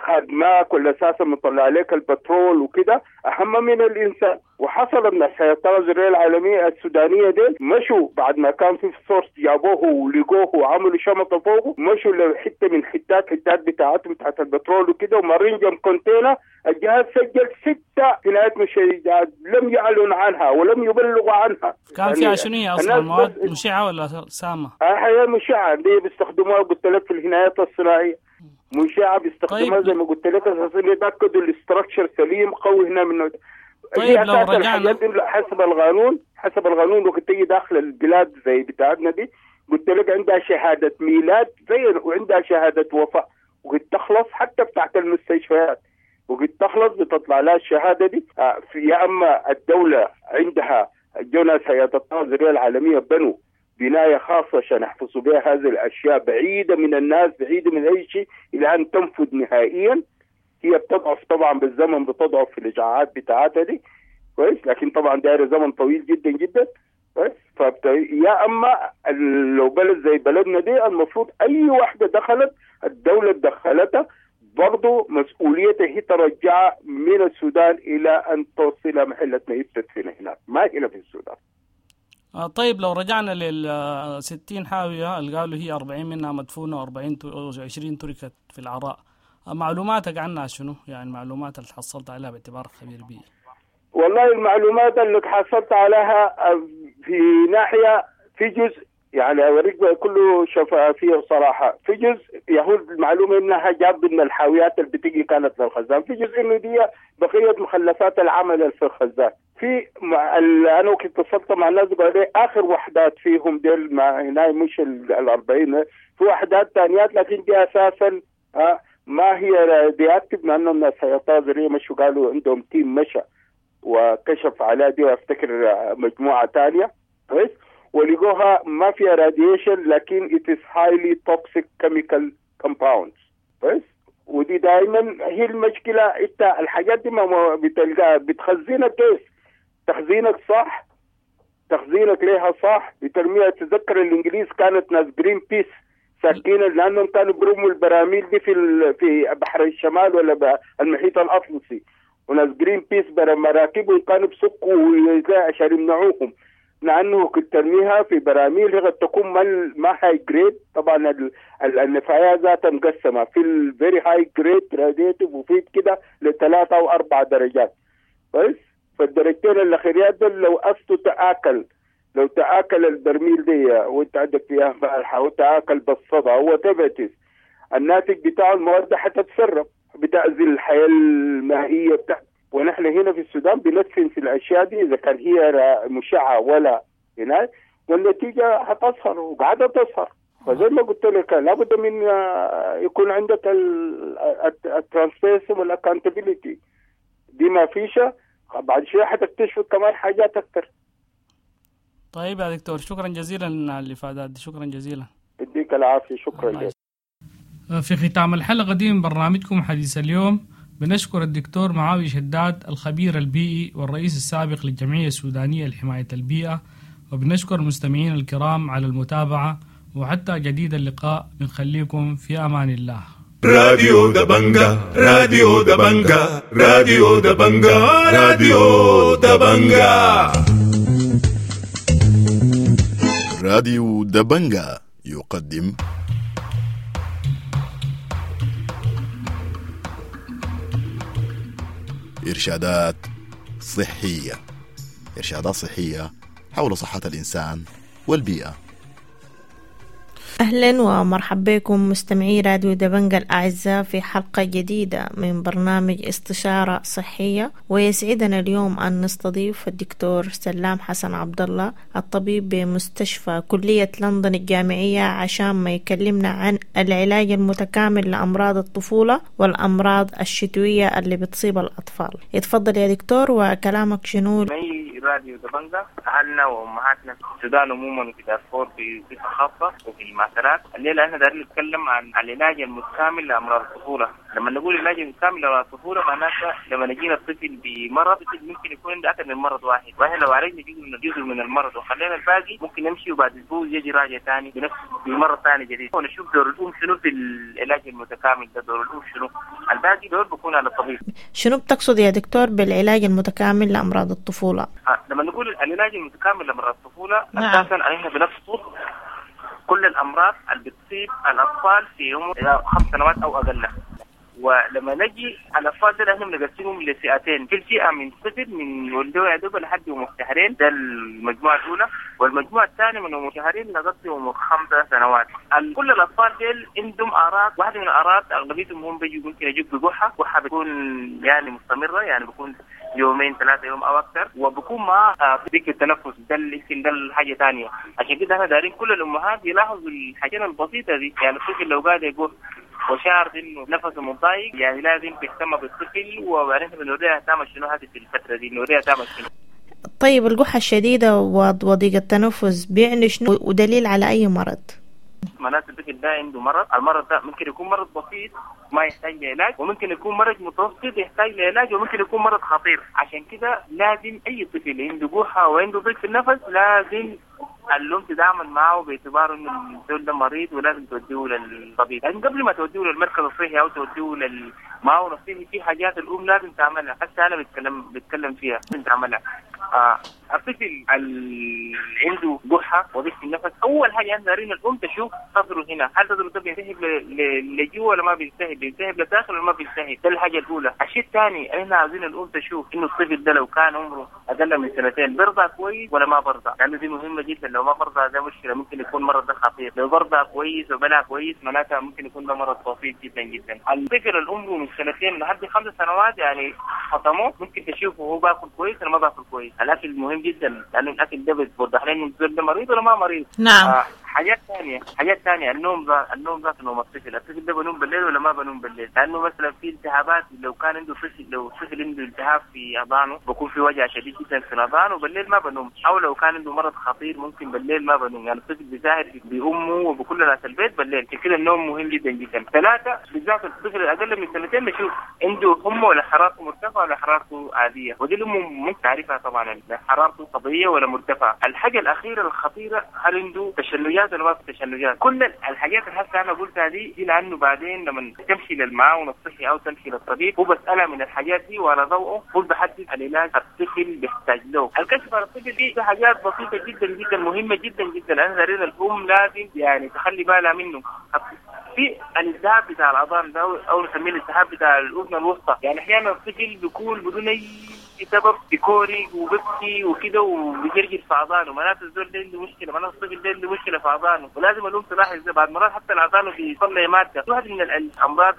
خادماك ولا اساسا مطلع عليك البترول وكده اهم من الانسان. وحصل من الهيئة الزراعية العالمية السودانية دي مشوا بعد ما كان في source جابوه ولقوه وعملوا شمطه فوقه، مشوا لحته من حتات حتات بتاعتهم بتاعت البترول وكده، ومارين جنب container، الجهاز سجل ستة جنايات مشيعات لم يعلن عنها ولم يبلغوا عنها. كان فيها شنو هي اصلا، مواد مشعه ولا سامة؟ هي مشعه دي بيستخدموها قلت لك في الجنايات الصناعية، مشعه بيستخدموها. طيب. زي ما قلت لك اساسا يتاكدوا ال structure سليم قوي هنا من. طيب لو رجعنا حسب القانون، حسب القانون وقت تيجي داخل البلاد زي بتاعتنا دي، قلت لك عندها شهادة ميلاد زي وعندها شهادة وفاة، وقت تخلص حتى بتاعت المستشفيات وقت تخلص بتطلع لها الشهادة دي. يا اما الدولة عندها جوناس هيئة الطاقة الذرية العالمية بنوا بناية خاصة عشان يحفظوا بها هذه الاشياء بعيدة من الناس، بعيدة من اي شيء، الى ان تنفذ نهائيا. هي بتضعف طبعا بالزمن، بتضعف في الاشعاعات بتاعتها دي كويس، لكن طبعا دايرة زمن طويل جدا جدا كويس. فبت... يا اما لو بلد زي بلدنا دي المفروض اي واحدة دخلت الدولة دخلتها برضه مسؤوليتها هي ترجعها من السودان الى ان توصلها محلة ما تدفن هناك، ما هنا في السودان. آه طيب لو رجعنا لل ستين حاوية اللي قالوا هي أربعين منها مدفونة وأربعين وعشرين تركت في العراء، معلوماتك عنها شنو؟ يعني المعلومات اللي حصلت عليها باعتبارك خبير بيئي. والله المعلومات اللي حصلت عليها في ناحية، في جزء يعني أوريك كله شفافية وصراحة، في جزء يهود المعلومة إنها جاب من الحاويات اللي بتيجي كانت للخزان، في جزء إنه دي بقية مخلفات العمل في الخزان. في مع ال... أنا كنت اتصلت مع الناس قالوا لي آخر وحدات فيهم ديل ما هنا مش الأربعين، في وحدات ثانيات لكن دي أساسا آه ما هي radioactive، مع إنه الناس هيئة الذرية مشوا قالوا عندهم team مشى وكشف على دي، وافتكر مجموعة ثانية كويس، ولقوها ما فيها radiation لكن it is highly toxic chemical compounds كويس. ودي دائما هي المشكلة، انت الحاجات دي ما بتلقاها بتخزينك كيف؟ تخزينك صح، تخزينك ليها صح، بترميها. تذكر الانجليز كانت ناس جرين بيس ساكين لانهم كانوا بيرموا البراميل دي في في بحر الشمال ولا المحيط الاطلسي، وناس جرين بيس مراكبهم كانوا بسكوا عشان يمنعوهم، لانه كنت ترميها في براميل هي قد تكون ما high grade. طبعا النفايات ذاتها مقسمة في ال very high grade radiative وفي كده لثلاثة او اربع درجات كويس. فالدرجتين الاخيريات دول لو اصله تاكل، لو تاكل البرميل دي وانت عندك فيها مالحة وتاكل بالصدى وتبتس الناتج بتاع المواد حتتسرب، بتاذي الحياة المائية بتاعت. ونحن هنا في السودان بندفن في الاشياء دي اذا كان هي مشعه ولا هناك، والنتيجة حتظهر وقاعدة تظهر. فزي ما قلت لك لابد من يكون عندك ال transparency وال accountability دي ما فيش، بعد شوية حتكتشف كمان حاجات اكثر. طيب يا دكتور شكرا جزيلا على الافادات دي، شكرا جزيلا. يديك العافية، شكرا لك. في ختام الحلقة دي من برنامجكم حديث اليوم بنشكر الدكتور معاوية شداد الخبير البيئي والرئيس السابق للجمعية السودانية لحماية البيئة، وبنشكر المستمعين الكرام على المتابعة، وحتى جديد اللقاء بنخليكم في أمان الله. راديو دبنجا، راديو دبنجا، راديو دبنجا، راديو دبنجا. راديو دبنجا يقدم إرشادات صحية، إرشادات صحية حول صحة الإنسان والبيئة. أهلا ومرحبا بكم مستمعي راديو دبنجا الأعزاء في حلقة جديدة من برنامج استشارة صحية، ويسعدنا اليوم أن نستضيف الدكتور سلام حسن عبد الله الطبيب بمستشفى كلية لندن الجامعية عشان ما يكلمنا عن العلاج المتكامل لأمراض الطفولة والأمراض الشتوية اللي بتصيب الأطفال. اتفضل يا دكتور وكلامك شنو؟ راديو دبنجا أهلنا وأمهاتنا في السودان عموما وفي دارفور بصفة خاصة وفي المعسكرات. الليلة احنا دايرين نتكلم عن العلاج المتكامل لأمراض الطفولة. لما نقول العلاج المتكامل لأمراض الطفولة معناته لما نجينا الطفل بمرض، الطفل ممكن يكون عنده أكثر من مرض واحد، واحنا لو عالجنا جزء من جزء من المرض وخلينا الباقي ممكن نمشي وبعد أسبوع يجي راجع ثاني بنفس بمرض ثاني جديد، ونشوف دور الأم شنو في العلاج المتكامل ده، دور الأم شنو، الباقي دور بيكون على الطبيب. شنو بتقصد يا دكتور بالعلاج المتكامل لأمراض الطفولة؟ لما نقول العلاج المتكامل لأمراض الطفولة نعم. أساساً احنا بنقصد كل الأمراض اللي بتصيب الأطفال في عمر خمس سنوات أو أقل، ولما نجي على الاطفال دول احنا بنقسمهم لفئتين، في فئة من صفر من ولدوا يا دوب لحد عمر شهرين، ده المجموعة الاولى، والمجموعة الثانية من عمر شهرين لغاية عمر خمسة سنوات. كل الاطفال ديل عندهم اعراض، واحدة من الاعراض اغلبيتهم هم بيجوا ممكن يجوا بقحه، قحه بتكون يعني مستمرة، يعني بيكون يومين ثلاثة يوم او اكثر، وبكون مع ضيق التنفس، ده يمكن ده الحاجة ثانية. عشان كده احنا دارين كل الامهات يلاحظوا الحاجات البسيطة دي، يعني الطفل لو قاعد يقول وشعر انه نفسه متضايق يعني لازم تهتم بالطفل، وبعدين بنوريها تعمل شنو هذه في الفترة دي، نوريها تعمل شنو. طيب القحه الشديدة وضيق التنفس بيعني شنو ودليل على اي مرض؟ معناته الطفل ده عنده مرض، المرض ده ممكن يكون مرض بسيط ما يحتاج لعلاج، وممكن يكون مرض متوسط يحتاج لعلاج، وممكن يكون مرض خطير. عشان كده لازم اي طفل عنده قحه وعنده ضيق في النفس لازم الأم تتعامل معه باعتباره انه الزول ده مريض ولازم توديه للطبيب. لكن قبل ما توديه للمركز الصحي او توديه للمعاون الصحي في حاجات الام لازم تعملها، حتى انا بتكلم بتكلم فيها لازم تعملها. آه الطفل اللي عنده قحه وضيق في النفس، اول حاجة عندنا دارين الام تشوف صدره هنا، هل صدره ده بينسحب لجوا ولا ما بينسحب، بينسحب لداخل ولا ما بينسحب، ده الحاجة الاولى. الشيء الثاني احنا عاوزين الام تشوف انه الطفل ده لو كان عمره اقل من سنتين برضع كويس ولا ما برضع، لانه دي مهمة جدا. لو ما برضع ده مشكلة، ممكن يكون مرض ده خطير. لو برضع كويس وبلع كويس معناتها ممكن يكون ده مرض بسيط جدا جدا. الطفل العمر من سنتين لحد خمس سنوات يعني فطموه ممكن تشوفه هو باكل كويس ولا ما باكل كويس. الاكل مهم جدا لانه الاكل ده بيوضح لنا انه ده مريض ولا ما مريض. نعم. آه حاجات ثانية، حاجات ثانية النوم ذا النوم ذات نوم الطفل، الطفل ده بنوم بالليل ولا ما بنوم بالليل؟ لانه مثلا في التهابات، لو كان عنده طفل لو طفل عنده التهاب في اذانه بكون في وجع شديد جدا في الاذان وبالليل ما بنوم، او لو كان عنده مرض خطير ممكن بالليل ما بنوم، يعني الطفل بيساهر بامه وبكل ناس البيت بالليل. كده النوم مهم جدا جدا. ثلاثة بالذات الطفل الاقل من سنتين نشوف عنده حمى ولا حرارته مرتفعة ولا حرارته عادية، ودي الام ممكن تعرفها طبعا حرارته طبيعية ولا مرتفعة. الحاجة الاخيرة الخطيرة هل عنده تشنجات ولا ما في تشنجات؟ كل الحاجات اللي هسه انا قلتها دي دي لانه بعدين لما تمشي للمعاون الصحي او تمشي للطبيب هو بسالها من الحاجات دي وعلى ضوءه هو بحدد العلاج الطفل بيحتاج له. الكشف على الطفل دي حاجات بسيطة جدا جدا مهمة جدا جدا، انا دارين الام لازم يعني تخلي بالها منه. في الالتهاب بتاع الاذان ده او نسميه الالتهاب بتاع الاذن الوسطى، يعني احيانا الطفل بيكون بدون اي سبب بيكوري وبيبكي وكده وبيجرجر في اذانه، معناته الزول ده عنده مشكلة، معناته الطفل ده عنده مشكلة في اذانه، ولازم الام تلاحظ ده. بعد مرات حتى الاذان بيطلع مادة، واحد من الامراض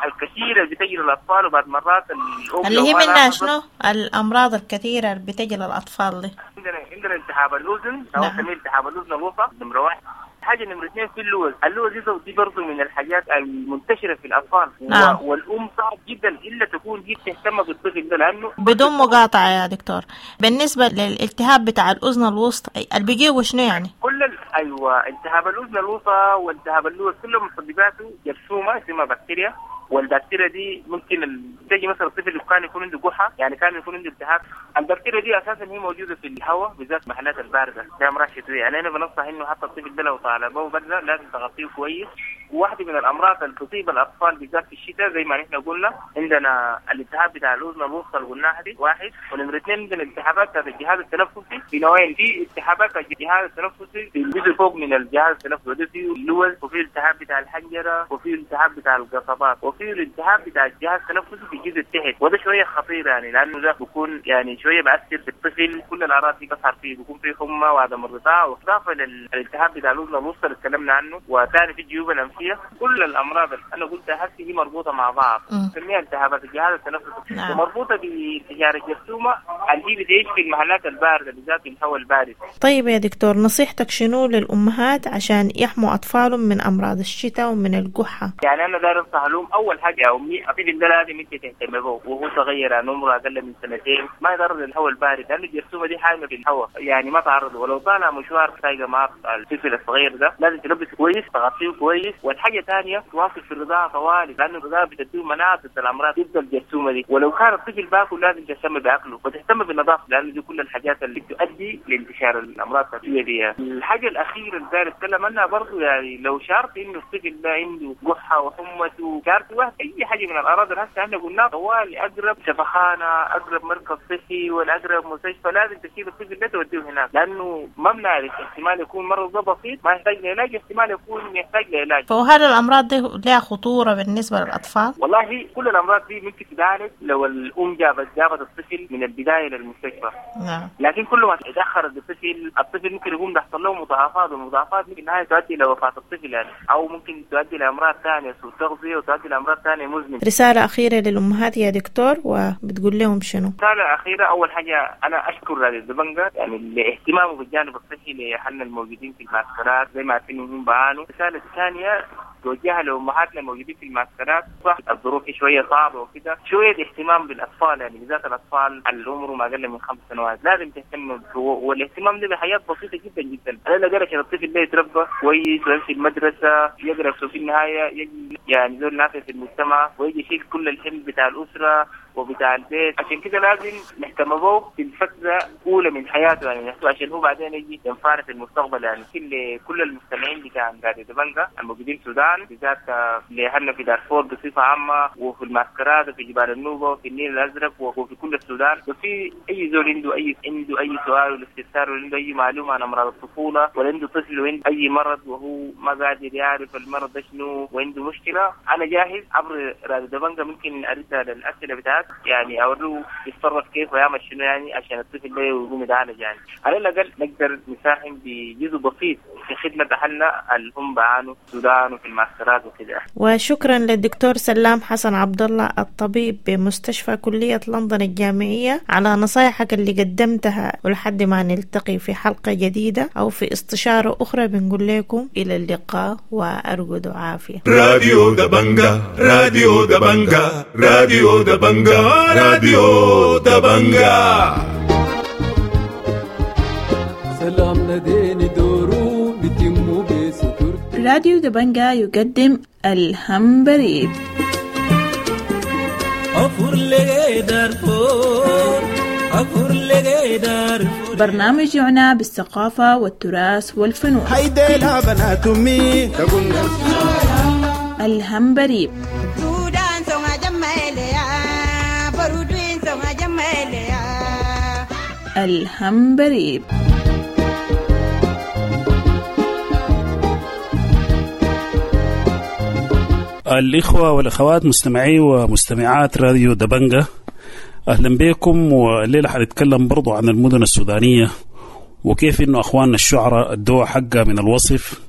الكثيرة اللي بتجي للاطفال، وبعد مرات الام اللي هي منها شنو؟ الامراض الكثيرة اللي بتجي للاطفال دي. عندنا عندنا التهاب الاذن او نسميه التهاب الاذن الوسطى نمره واحد. حاجة نمره اثنين في اللوز، اللوز دي برضه من الحاجات المنتشرة في الاطفال. نعم. والام صعب جدا الا تكون هي بتهتم بالطفل ده لانه بدون مقاطعه يا دكتور. بالنسبة للالتهاب بتاع الاذن الوسطى اللي بيجيبه شنو يعني؟ كل ال... ايوه التهاب الاذن الوسطى والتهاب اللوز كلهم مسبباته جرثومة اسمها بكتيريا، والبكتيريا دي ممكن تجي مثلا الطفل اللي كان يكون عنده قحه، يعني كان يكون عنده التهاب. البكتيريا دي اساسا هي موجودة في الهواء بالذات المحلات البارده زي امراض شتوية، يعني انا بنصح انه حتى الطفل ده لو طالع به برده لازم تغطيه كويس. وواحدة من الامراض اللي تصيب الاطفال بالذات في الشتاء زي ما نحن قلنا عندنا الالتهاب بتاع الاذن الوسطى اللي قلناها دي واحد، ونمره اثنين عندنا التهابات بتاعت الجهاز التنفسي في نوعين، في التهابات الجهاز التنفسي في الجزء فوق من الجهاز التنفسي وده فيه اللوز، وفي التهاب بتاع الحنجرة، وفي التهاب بتاع القصبات، وفي الالتهاب بتاع الجهاز التنفسي في الجزء التحت، وده شوية خطير يعني لانه ده بيكون يعني شوية بأثر في الطفل، كل الاعراض دي بتظهر فيه، بيكون فيه حمى وعدم الرضاعة، واضافه للالتهاب بتاع الاذن الوسطى اللي تكلمنا عنه، وثاني في الجيوب الانفيه. كل الامراض اللي انا قلتها هسه هي مربوطة مع بعض، نسميها التهابات الجهاز التنفسي، نعم. ومربوطه بانتشار الجرثومه اللي بتعيش في المحلات البارده بالذات في الهواء البارد. طيب يا دكتور نصيحتك شنو للامهات عشان يحموا اطفالهم من امراض الشتاء ومن القحه؟ يعني انا داير انصح لهم اول حاجة يا امي الطفل ده لازم انت تهتم به وهو صغير، يعني عمره اقل من سنتين ما يتعرض للهواء البارد لانه الجرثومه دي حامية في الهواء، يعني ما تعرض، ولو طالع مشوار سايقه مع الطفل الصغير ده لازم تلبسه كويس تغطيه كويس. والحاجة ثانية تواصل في الرضاعة طوالي لانه الرضاعة بتديه مناعة ضد الامراض ضد الجرثومه دي، ولو كان الطفل باكل لازم تهتم باكله وتهتم بالنظافة لانه دي كل الحاجات اللي بتؤدي لانتشار الامراض النفسية دي. الحاجة الاخيرة اللي داير اتكلم عنها برضه، يعني لو شعرت انه الطفل ده عنده قحه وحمته شعرت واحد اي حاجة من الاعراض اللي هسه احنا قلناها طوالي اقرب شفخانه اقرب مركز صحي ولا اقرب مستشفى لازم تشيل الطفل ده توديه هناك، لانه ما بنعرف احتمال يكون مرض ده بسيط ما يحتاج لعلاج، احتمال يكون يحتاج لعلاج. وهل الأمراض دي لها خطورة بالنسبة للأطفال؟ والله كل الأمراض دي ممكن تتعالج لو الأم جابت جابت الطفل من البداية للمستشفى. نعم. لكن كل ما تأخر الطفل الطفل ممكن يقوم يحصل له مضاعفات، والمضاعفات ممكن النهاية تؤدي إلى وفاة الطفل يعني، أو ممكن تؤدي لأمراض ثانية سوء تغذية وتؤدي لأمراض ثانية مزمنة. رسالة أخيرة للأمهات يا دكتور، وبتقول لهم شنو؟ رسالة أخيرة، أول حاجة أنا أشكر راديو دبنجة يعني لاهتمامه بالجانب الصحي لأهلنا الموجودين في المعسكرات زي ما عارفين هم بعانوا. الرسالة الثانية توجهها لأمهاتنا الموجودين في المعسكرات، صح الظروف شوية صعبة وكده، شوية اهتمام بالأطفال يعني بالذات الأطفال اللي عمرهم أقل من خمس سنوات لازم تهتم، والاهتمام ده بحاجات بسيطة جدا جدا. على الأقل عشان الطفل ده يتربى كويس ويمشي المدرسة يقرأ في النهاية يجي يعني زول نافع في المجتمع ويجي يشيل كل الحمل بتاع الأسرة وبتاع البيت. عشان كده لازم نهتم به في الفترة الأولى من حياته يعني عشان هو بعدين يجي ينفعنا في المستقبل يعني. كل كل المستمعين بتاع راديو دبنجة الموجودين في السودان بالذات لأهلنا في دارفور بصفة عامة وفي المعسكرات وفي جبال النوبة وفي النيل الأزرق وفي كل السودان، وفي أي زول عنده أي عنده أي سؤال ولا استفسار ولا عنده أي معلومة عن أمراض الطفولة ولا عنده طفل وعنده أي مرض وهو ما قادر يعرف المرض ده شنو وعنده مشكلة، أنا جاهز عبر راديو دبنجة ممكن أرد على الأسئلة بتاعت يعني أوريه يتصرف كيف ويعمل شنو يعني عشان الطفل ده يقوم يتعالج يعني. على الأقل نقدر نساهم بجزء بسيط في خدمة أهلنا اللي هم بعانوا في السودان وفي المعسكرات وكده. وشكرا للدكتور سلام حسن عبد الله الطبيب بمستشفى كلية لندن الجامعية على نصايحك اللي قدمتها، ولحد ما نلتقي في حلقة جديدة أو في استشارة أخرى بنقول لكم إلى اللقاء وأرجو عافية. راديو دبنجة، راديو دبنجة، راديو دبنجة، راديو دبنجة. سلام لديني دورو بتمو بستر. راديو دبنجة يقدم الهمبريب. برنامج يعنى بالثقافة والتراث والفنون. الهمبريب. الهمبريب. الإخوة والأخوات مستمعي ومستمعات راديو دبنجة، أهلا بكم. والليلة حنتكلم برضو عن المدن السودانية وكيف إنه أخواننا الشعراء ادوها حقها من الوصف.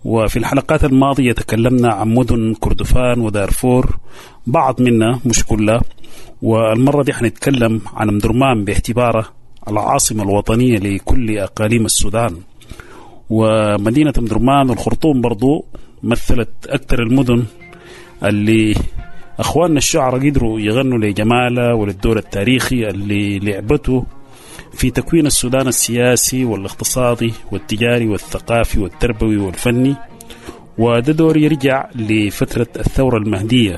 وفي الحلقات الماضية تكلمنا عن مدن كردفان ودارفور، بعض منها مش كلها، والمرة دي حنتكلم عن أمدرمان باعتبارها العاصمة الوطنية لكل أقاليم السودان. ومدينة أمدرمان والخرطوم برضو مثلت أكثر المدن اللي أخواننا الشعراء قدروا يغنوا لجمالها وللدور التاريخي اللي لعبته في تكوين السودان السياسي والاقتصادي والتجاري والثقافي والتربوي والفني. وده دور يرجع لفترة الثورة المهدية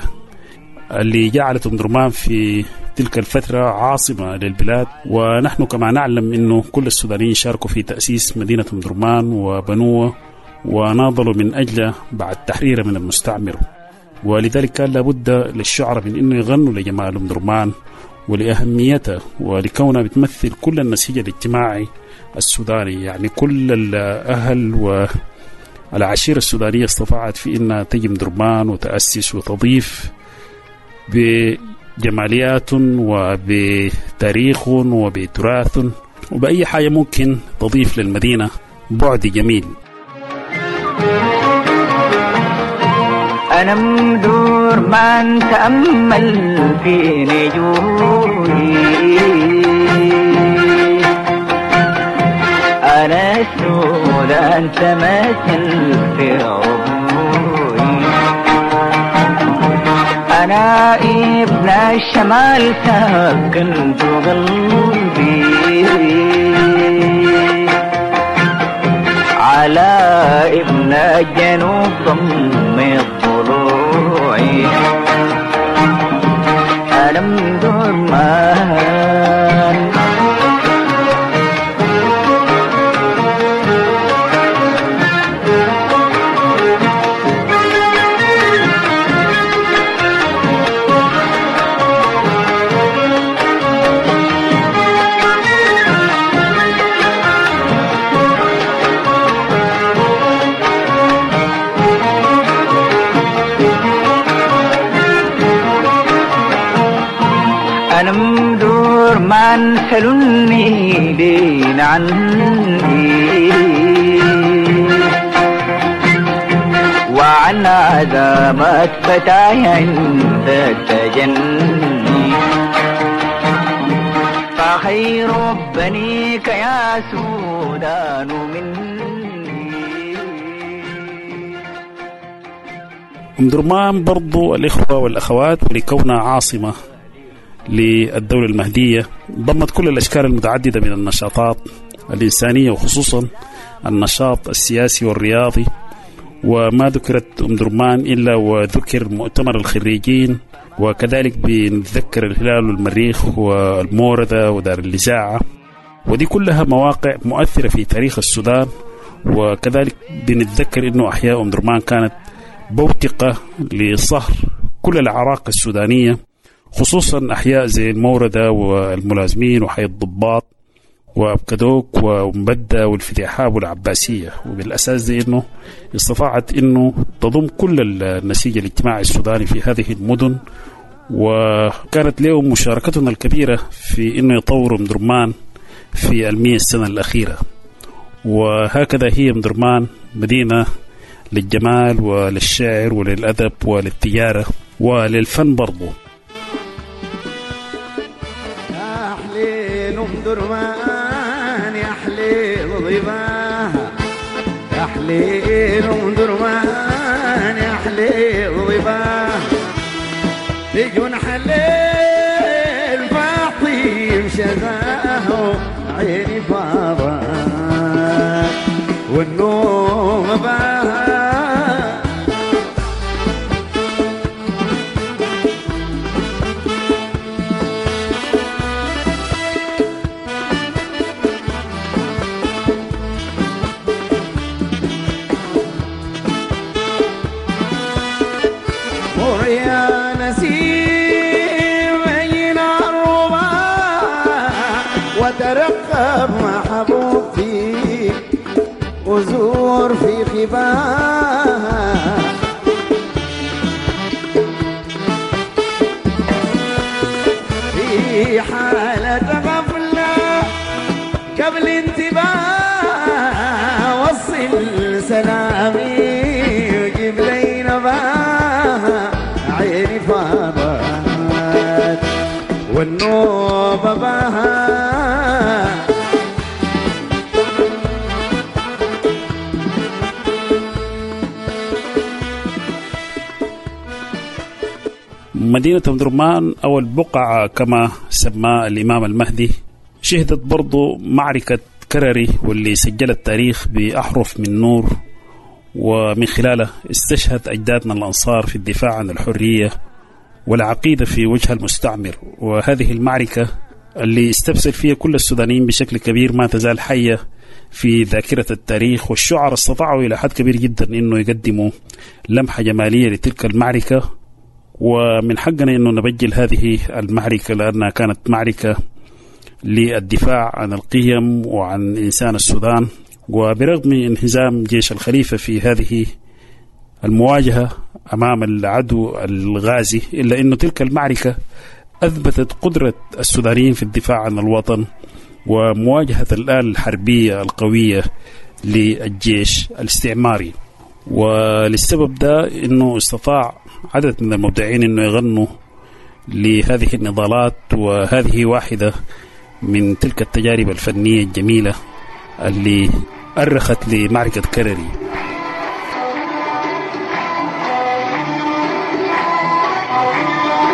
اللي جعلت أمدرمان في تلك الفترة عاصمة للبلاد. ونحن كما نعلم أنه كل السودانيين شاركوا في تأسيس مدينة أمدرمان وبنوه وناضلوا من أجله بعد تحريره من المستعمر، ولذلك كان لابد للشعراء من أنه يغنوا لجمال أمدرمان ولأهميته ولكونها بتمثل كل النسيج الاجتماعي السوداني. يعني كل الأهل والعشيرة السودانية استطاعت في أنها تجي أمدرمان وتأسس وتضيف بجماليات وبتاريخ وبتراث وبأي حاجة ممكن تضيف للمدينة بعد جميل. أنا مدور ما نتأمل في نجومي، أنا السودان تمثل في عبوري، أنا ابن الشمال ساكن قلبي، على ابن الجنوب ضم ضلوعي، أنا مدرمان. بعدين عني وعن عزامات فتاي عند التجني فخير بنيك يا سودان مني. أم درمان برضو الإخوة والأخوات ولكونها عاصمة للدولة المهدية ضمت كل الأشكال المتعددة من النشاطات الإنسانية، وخصوصا النشاط السياسي والرياضي. وما ذكرت أم درمان إلا وذكر مؤتمر الخريجين، وكذلك بنتذكر الهلال والمريخ والموردة ودار الإذاعة، ودي كلها مواقع مؤثرة في تاريخ السودان. وكذلك بنتذكر أنه أحياء أم درمان كانت بوتقة لصهر كل الأعراق السودانية، خصوصا أحياء زي الموردة والملازمين وحي الضباط وأبكدوك ومبدة والفتيحاب والعباسية. وبالأساس دي أنه استطاعت أنه تضم كل النسيج الاجتماعي السوداني في هذه المدن، وكانت لهم مشاركتهم الكبيرة في أنه يطوروا مدرمان في المئة سنة الأخيرة. وهكذا هي مدرمان مدينة للجمال وللشعر وللأدب وللتجارة وللفن برضو. يا حليل أم درمان، يا حليل ضباها، يا حليل أم درمان، يا حليل ضباها، لجنح الليل فاطيم شذاه عيني فاضت والنوم باها. يا نسيم بين الربا وترقب محبوبتي وزور في خباها. في حالة غفلة قبل انتباه وصل سلامي وجيب لي نباها. عيني فاضت والنوبة باها. مدينة أم درمان أو البقعة كما سماه الإمام المهدي شهدت برضو معركة كرري، واللي سجلت التاريخ بأحرف من نور، ومن خلاله استشهد أجدادنا الأنصار في الدفاع عن الحرية والعقيدة في وجه المستعمر. وهذه المعركة اللي استبسل فيها كل السودانيين بشكل كبير ما تزال حية في ذاكرة التاريخ، والشعراء استطاعوا إلى حد كبير جدا أنه يقدموا لمحة جمالية لتلك المعركة. ومن حقنا أنه نبجل هذه المعركة لأنها كانت معركة للدفاع عن القيم وعن إنسان السودان. وبرغم انهزام جيش الخليفة في هذه المواجهة أمام العدو الغازي، إلا أن تلك المعركة أثبتت قدرة السودانيين في الدفاع عن الوطن ومواجهة الآلة الحربية القوية للجيش الاستعماري. وللسبب ده أنه استطاع عدد من المبدعين أنه يغنوا لهذه النضالات، وهذه واحدة من تلك التجارب الفنية الجميلة اللي أرخت لمعركة كرري. Thank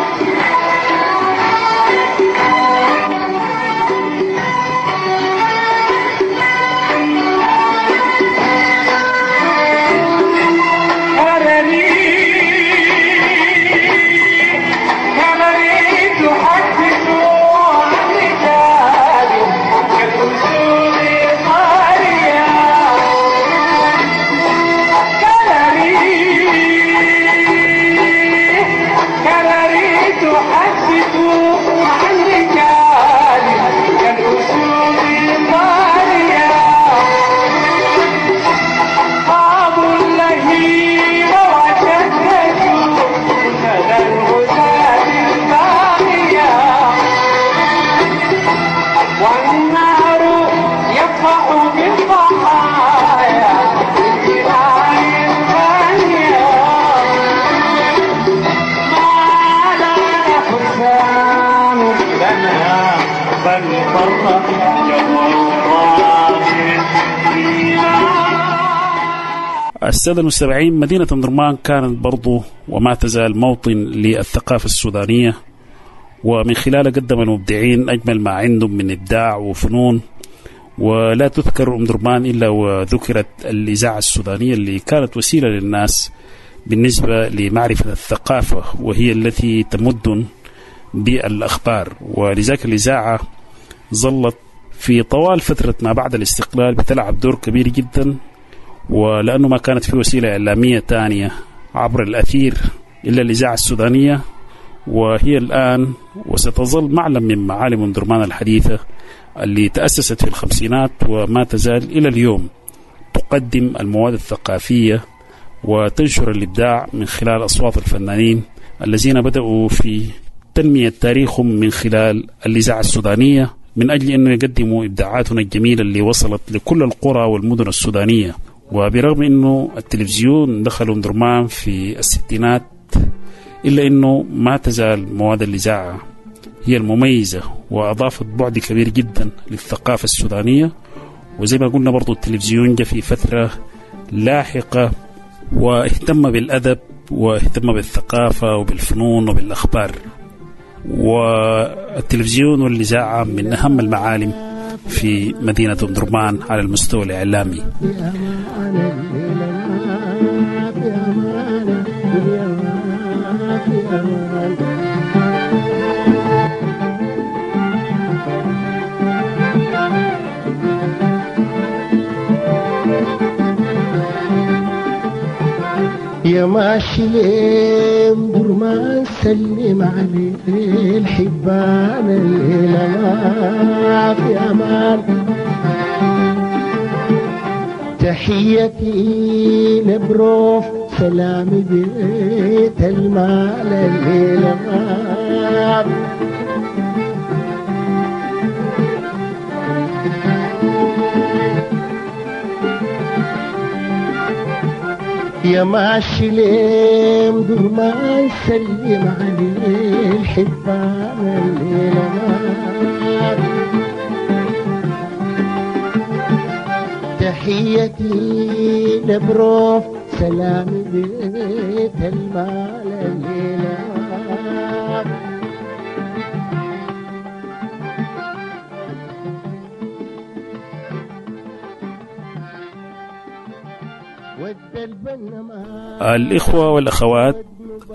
you. السادة المستمعين، مدينة أم درمان كانت برضو وما تزال موطن للثقافة السودانية، ومن خلالها قدم المبدعين أجمل ما عندهم من إبداع وفنون. ولا تذكر أم درمان إلا وذكرت الإذاعة السودانية اللي كانت وسيلة للناس بالنسبة لمعرفة الثقافة، وهي التي تمد بالأخبار. ولذلك الإذاعة ظلت في طوال فترة ما بعد الاستقلال بتلعب دور كبير جدا، ولأنه ما كانت في وسيلة إعلامية تانية عبر الأثير إلا الإذاعة السودانية، وهي الآن وستظل معلم من معالم أم درمان الحديثة اللي تأسست في الخمسينات وما تزال إلى اليوم تقدم المواد الثقافية وتنشر الإبداع من خلال أصوات الفنانين الذين بدأوا في تنمية تاريخهم من خلال الإذاعة السودانية، من أجل أنه يقدموا إبداعاتنا الجميلة اللي وصلت لكل القرى والمدن السودانية. وبرغم أنه التلفزيون دخل أم درمان في الستينات، إلا أنه ما تزال مواد الإذاعة هي المميزة وأضافت بعد كبير جدا للثقافة السودانية. وزي ما قلنا برضو التلفزيون جاء في فترة لاحقة واهتم بالأدب واهتم بالثقافة وبالفنون وبالأخبار. والتلفزيون والإذاعة من أهم المعالم في مدينة أم درمان على المستوى الإعلامي. يا ماشي ليه درمان سلم عليه الحبان الليلة ما في أمان. تحيتي لبروف سلامي بيت المال الليلة ما يا ماشي ليه درمان سلم عليه الحبان الليلة ما تحيتي لبروف سلامي بيت المال الليلة. الإخوة والأخوات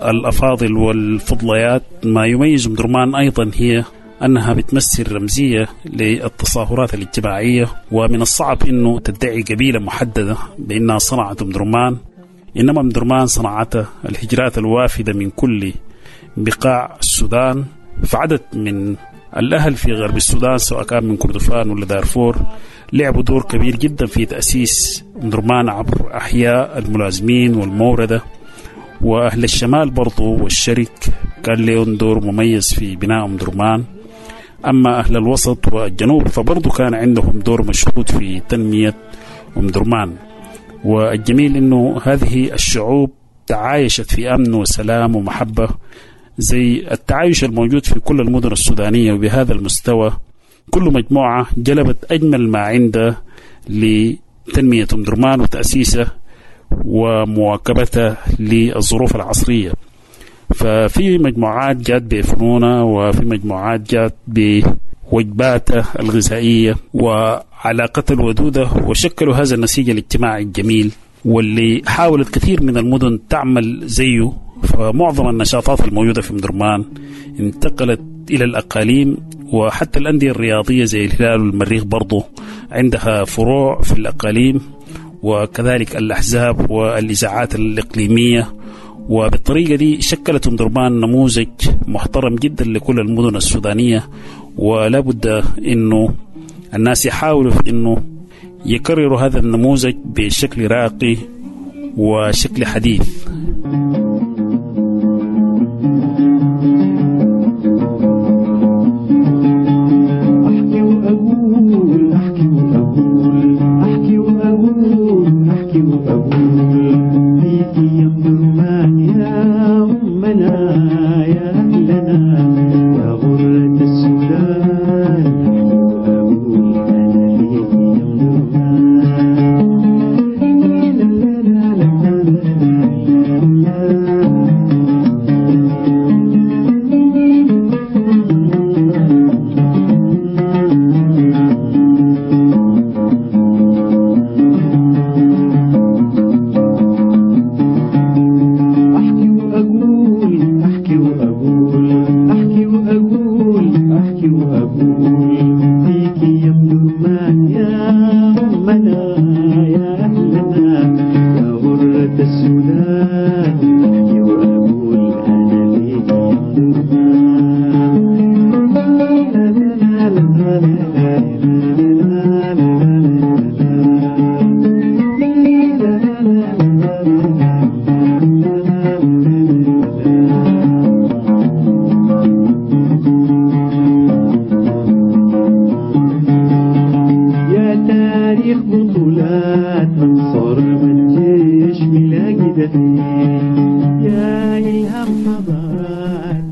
الأفاضل والفضليات، ما يميز أم درمان أيضا هي أنها بتمثل رمزية للتصاهرات الاجتماعية، ومن الصعب أنه تدعي قبيلة محددة بأنها صنعت أم درمان، إنما أم درمان صنعتها الهجرات الوافدة من كل بقاع السودان. فعدد من الأهل في غرب السودان سواء كان من كردفان ولا دارفور لعبوا دور كبير جدا في تأسيس أم درمان عبر أحياء الملازمين والموردة، وأهل الشمال برضو والشرق كان لهم دور مميز في بناء أم درمان. أما أهل الوسط والجنوب فبرضو كان عندهم دور مشهود في تنمية أم درمان. والجميل أنه هذه الشعوب تعايشت في أمن وسلام ومحبة زي التعايش الموجود في كل المدن السودانية، وبهذا المستوى كل مجموعة جلبت أجمل ما عندها لتنمية أم درمان وتأسيسه ومواكبتها للظروف العصرية. ففي مجموعات جات بفنونها، وفي مجموعات جات بوجباتها الغذائية وعلاقتها الودودة، وشكلوا هذا النسيج الاجتماعي الجميل واللي حاولت كثير من المدن تعمل زيه. فمعظم النشاطات الموجودة في أم درمان انتقلت إلى الأقاليم، وحتى الأندية الرياضية زي الهلال والمريخ برضو عندها فروع في الأقاليم، وكذلك الأحزاب والإذاعات الإقليمية. وبالطريقة دي شكلت أم درمان نموذج محترم جدا لكل المدن السودانية، ولا بد أنه الناس يحاولوا في أنه يكرروا هذا النموذج بشكل راقي وشكل حديث. أحكي وأقول أحكي وأقول أحكي وأقول أحكي وأقول فيكي يا أم درمان يا أمنا يا أهلنا يا غرة السودان. أحكي وأقول أنا فيكي يا أم درمان. لا لا لا لا يا أمنا يا أهلنا يا غرة السودان، أحكي وأقول أنا فيك يا يا تاريخ بطولات من صرم الجيش ملاقي دفين، يا إلهام حضارات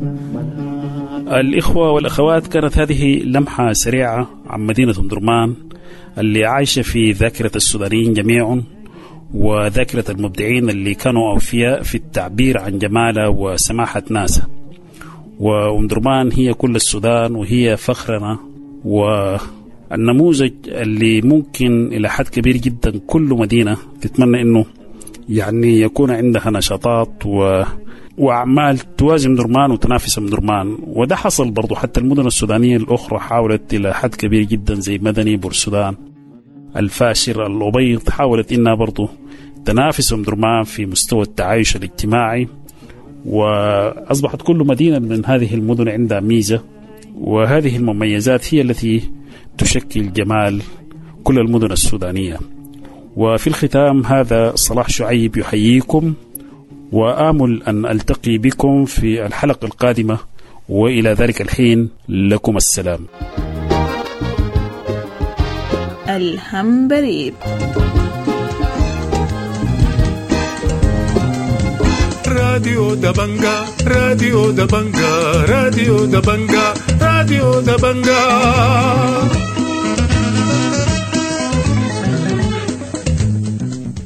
الإخوة والأخوات، كانت هذه لمحة سريعة عن مدينة أم درمان اللي عايشة في ذاكرة السودانيين جميعا وذاكرة المبدعين اللي كانوا أوفياء في التعبير عن جمالها وسماحة ناسها. وأم درمان هي كل السودان وهي فخرنا والنموذج اللي ممكن إلى حد كبير جدا كل مدينة تتمنى إنه يعني يكون عندها نشاطات و وأعمال توازي درمان وتنافس درمان. وده حصل برضو حتى المدن السودانية الأخرى حاولت إلى حد كبير جدا، زي مدني، بورسودان، الفاشر، الأبيض، حاولت إنها برضو تنافس أم درمان في مستوى التعايش الاجتماعي. وأصبحت كل مدينة من هذه المدن عندها ميزة، وهذه المميزات هي التي تشكل جمال كل المدن السودانية. وفي الختام هذا صلاح شعيب يحييكم، وآمل أن ألتقي بكم في الحلقة القادمة، وإلى ذلك الحين لكم السلام. الهمبريب. راديو دبنجا، راديو دبنجا، راديو دبنجا، راديو دبنجا.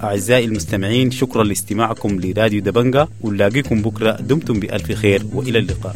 أعزائي المستمعين، شكرا لاستماعكم لراديو دبنجا، ونلاقيكم بكرة. دمتم بألف خير وإلى اللقاء.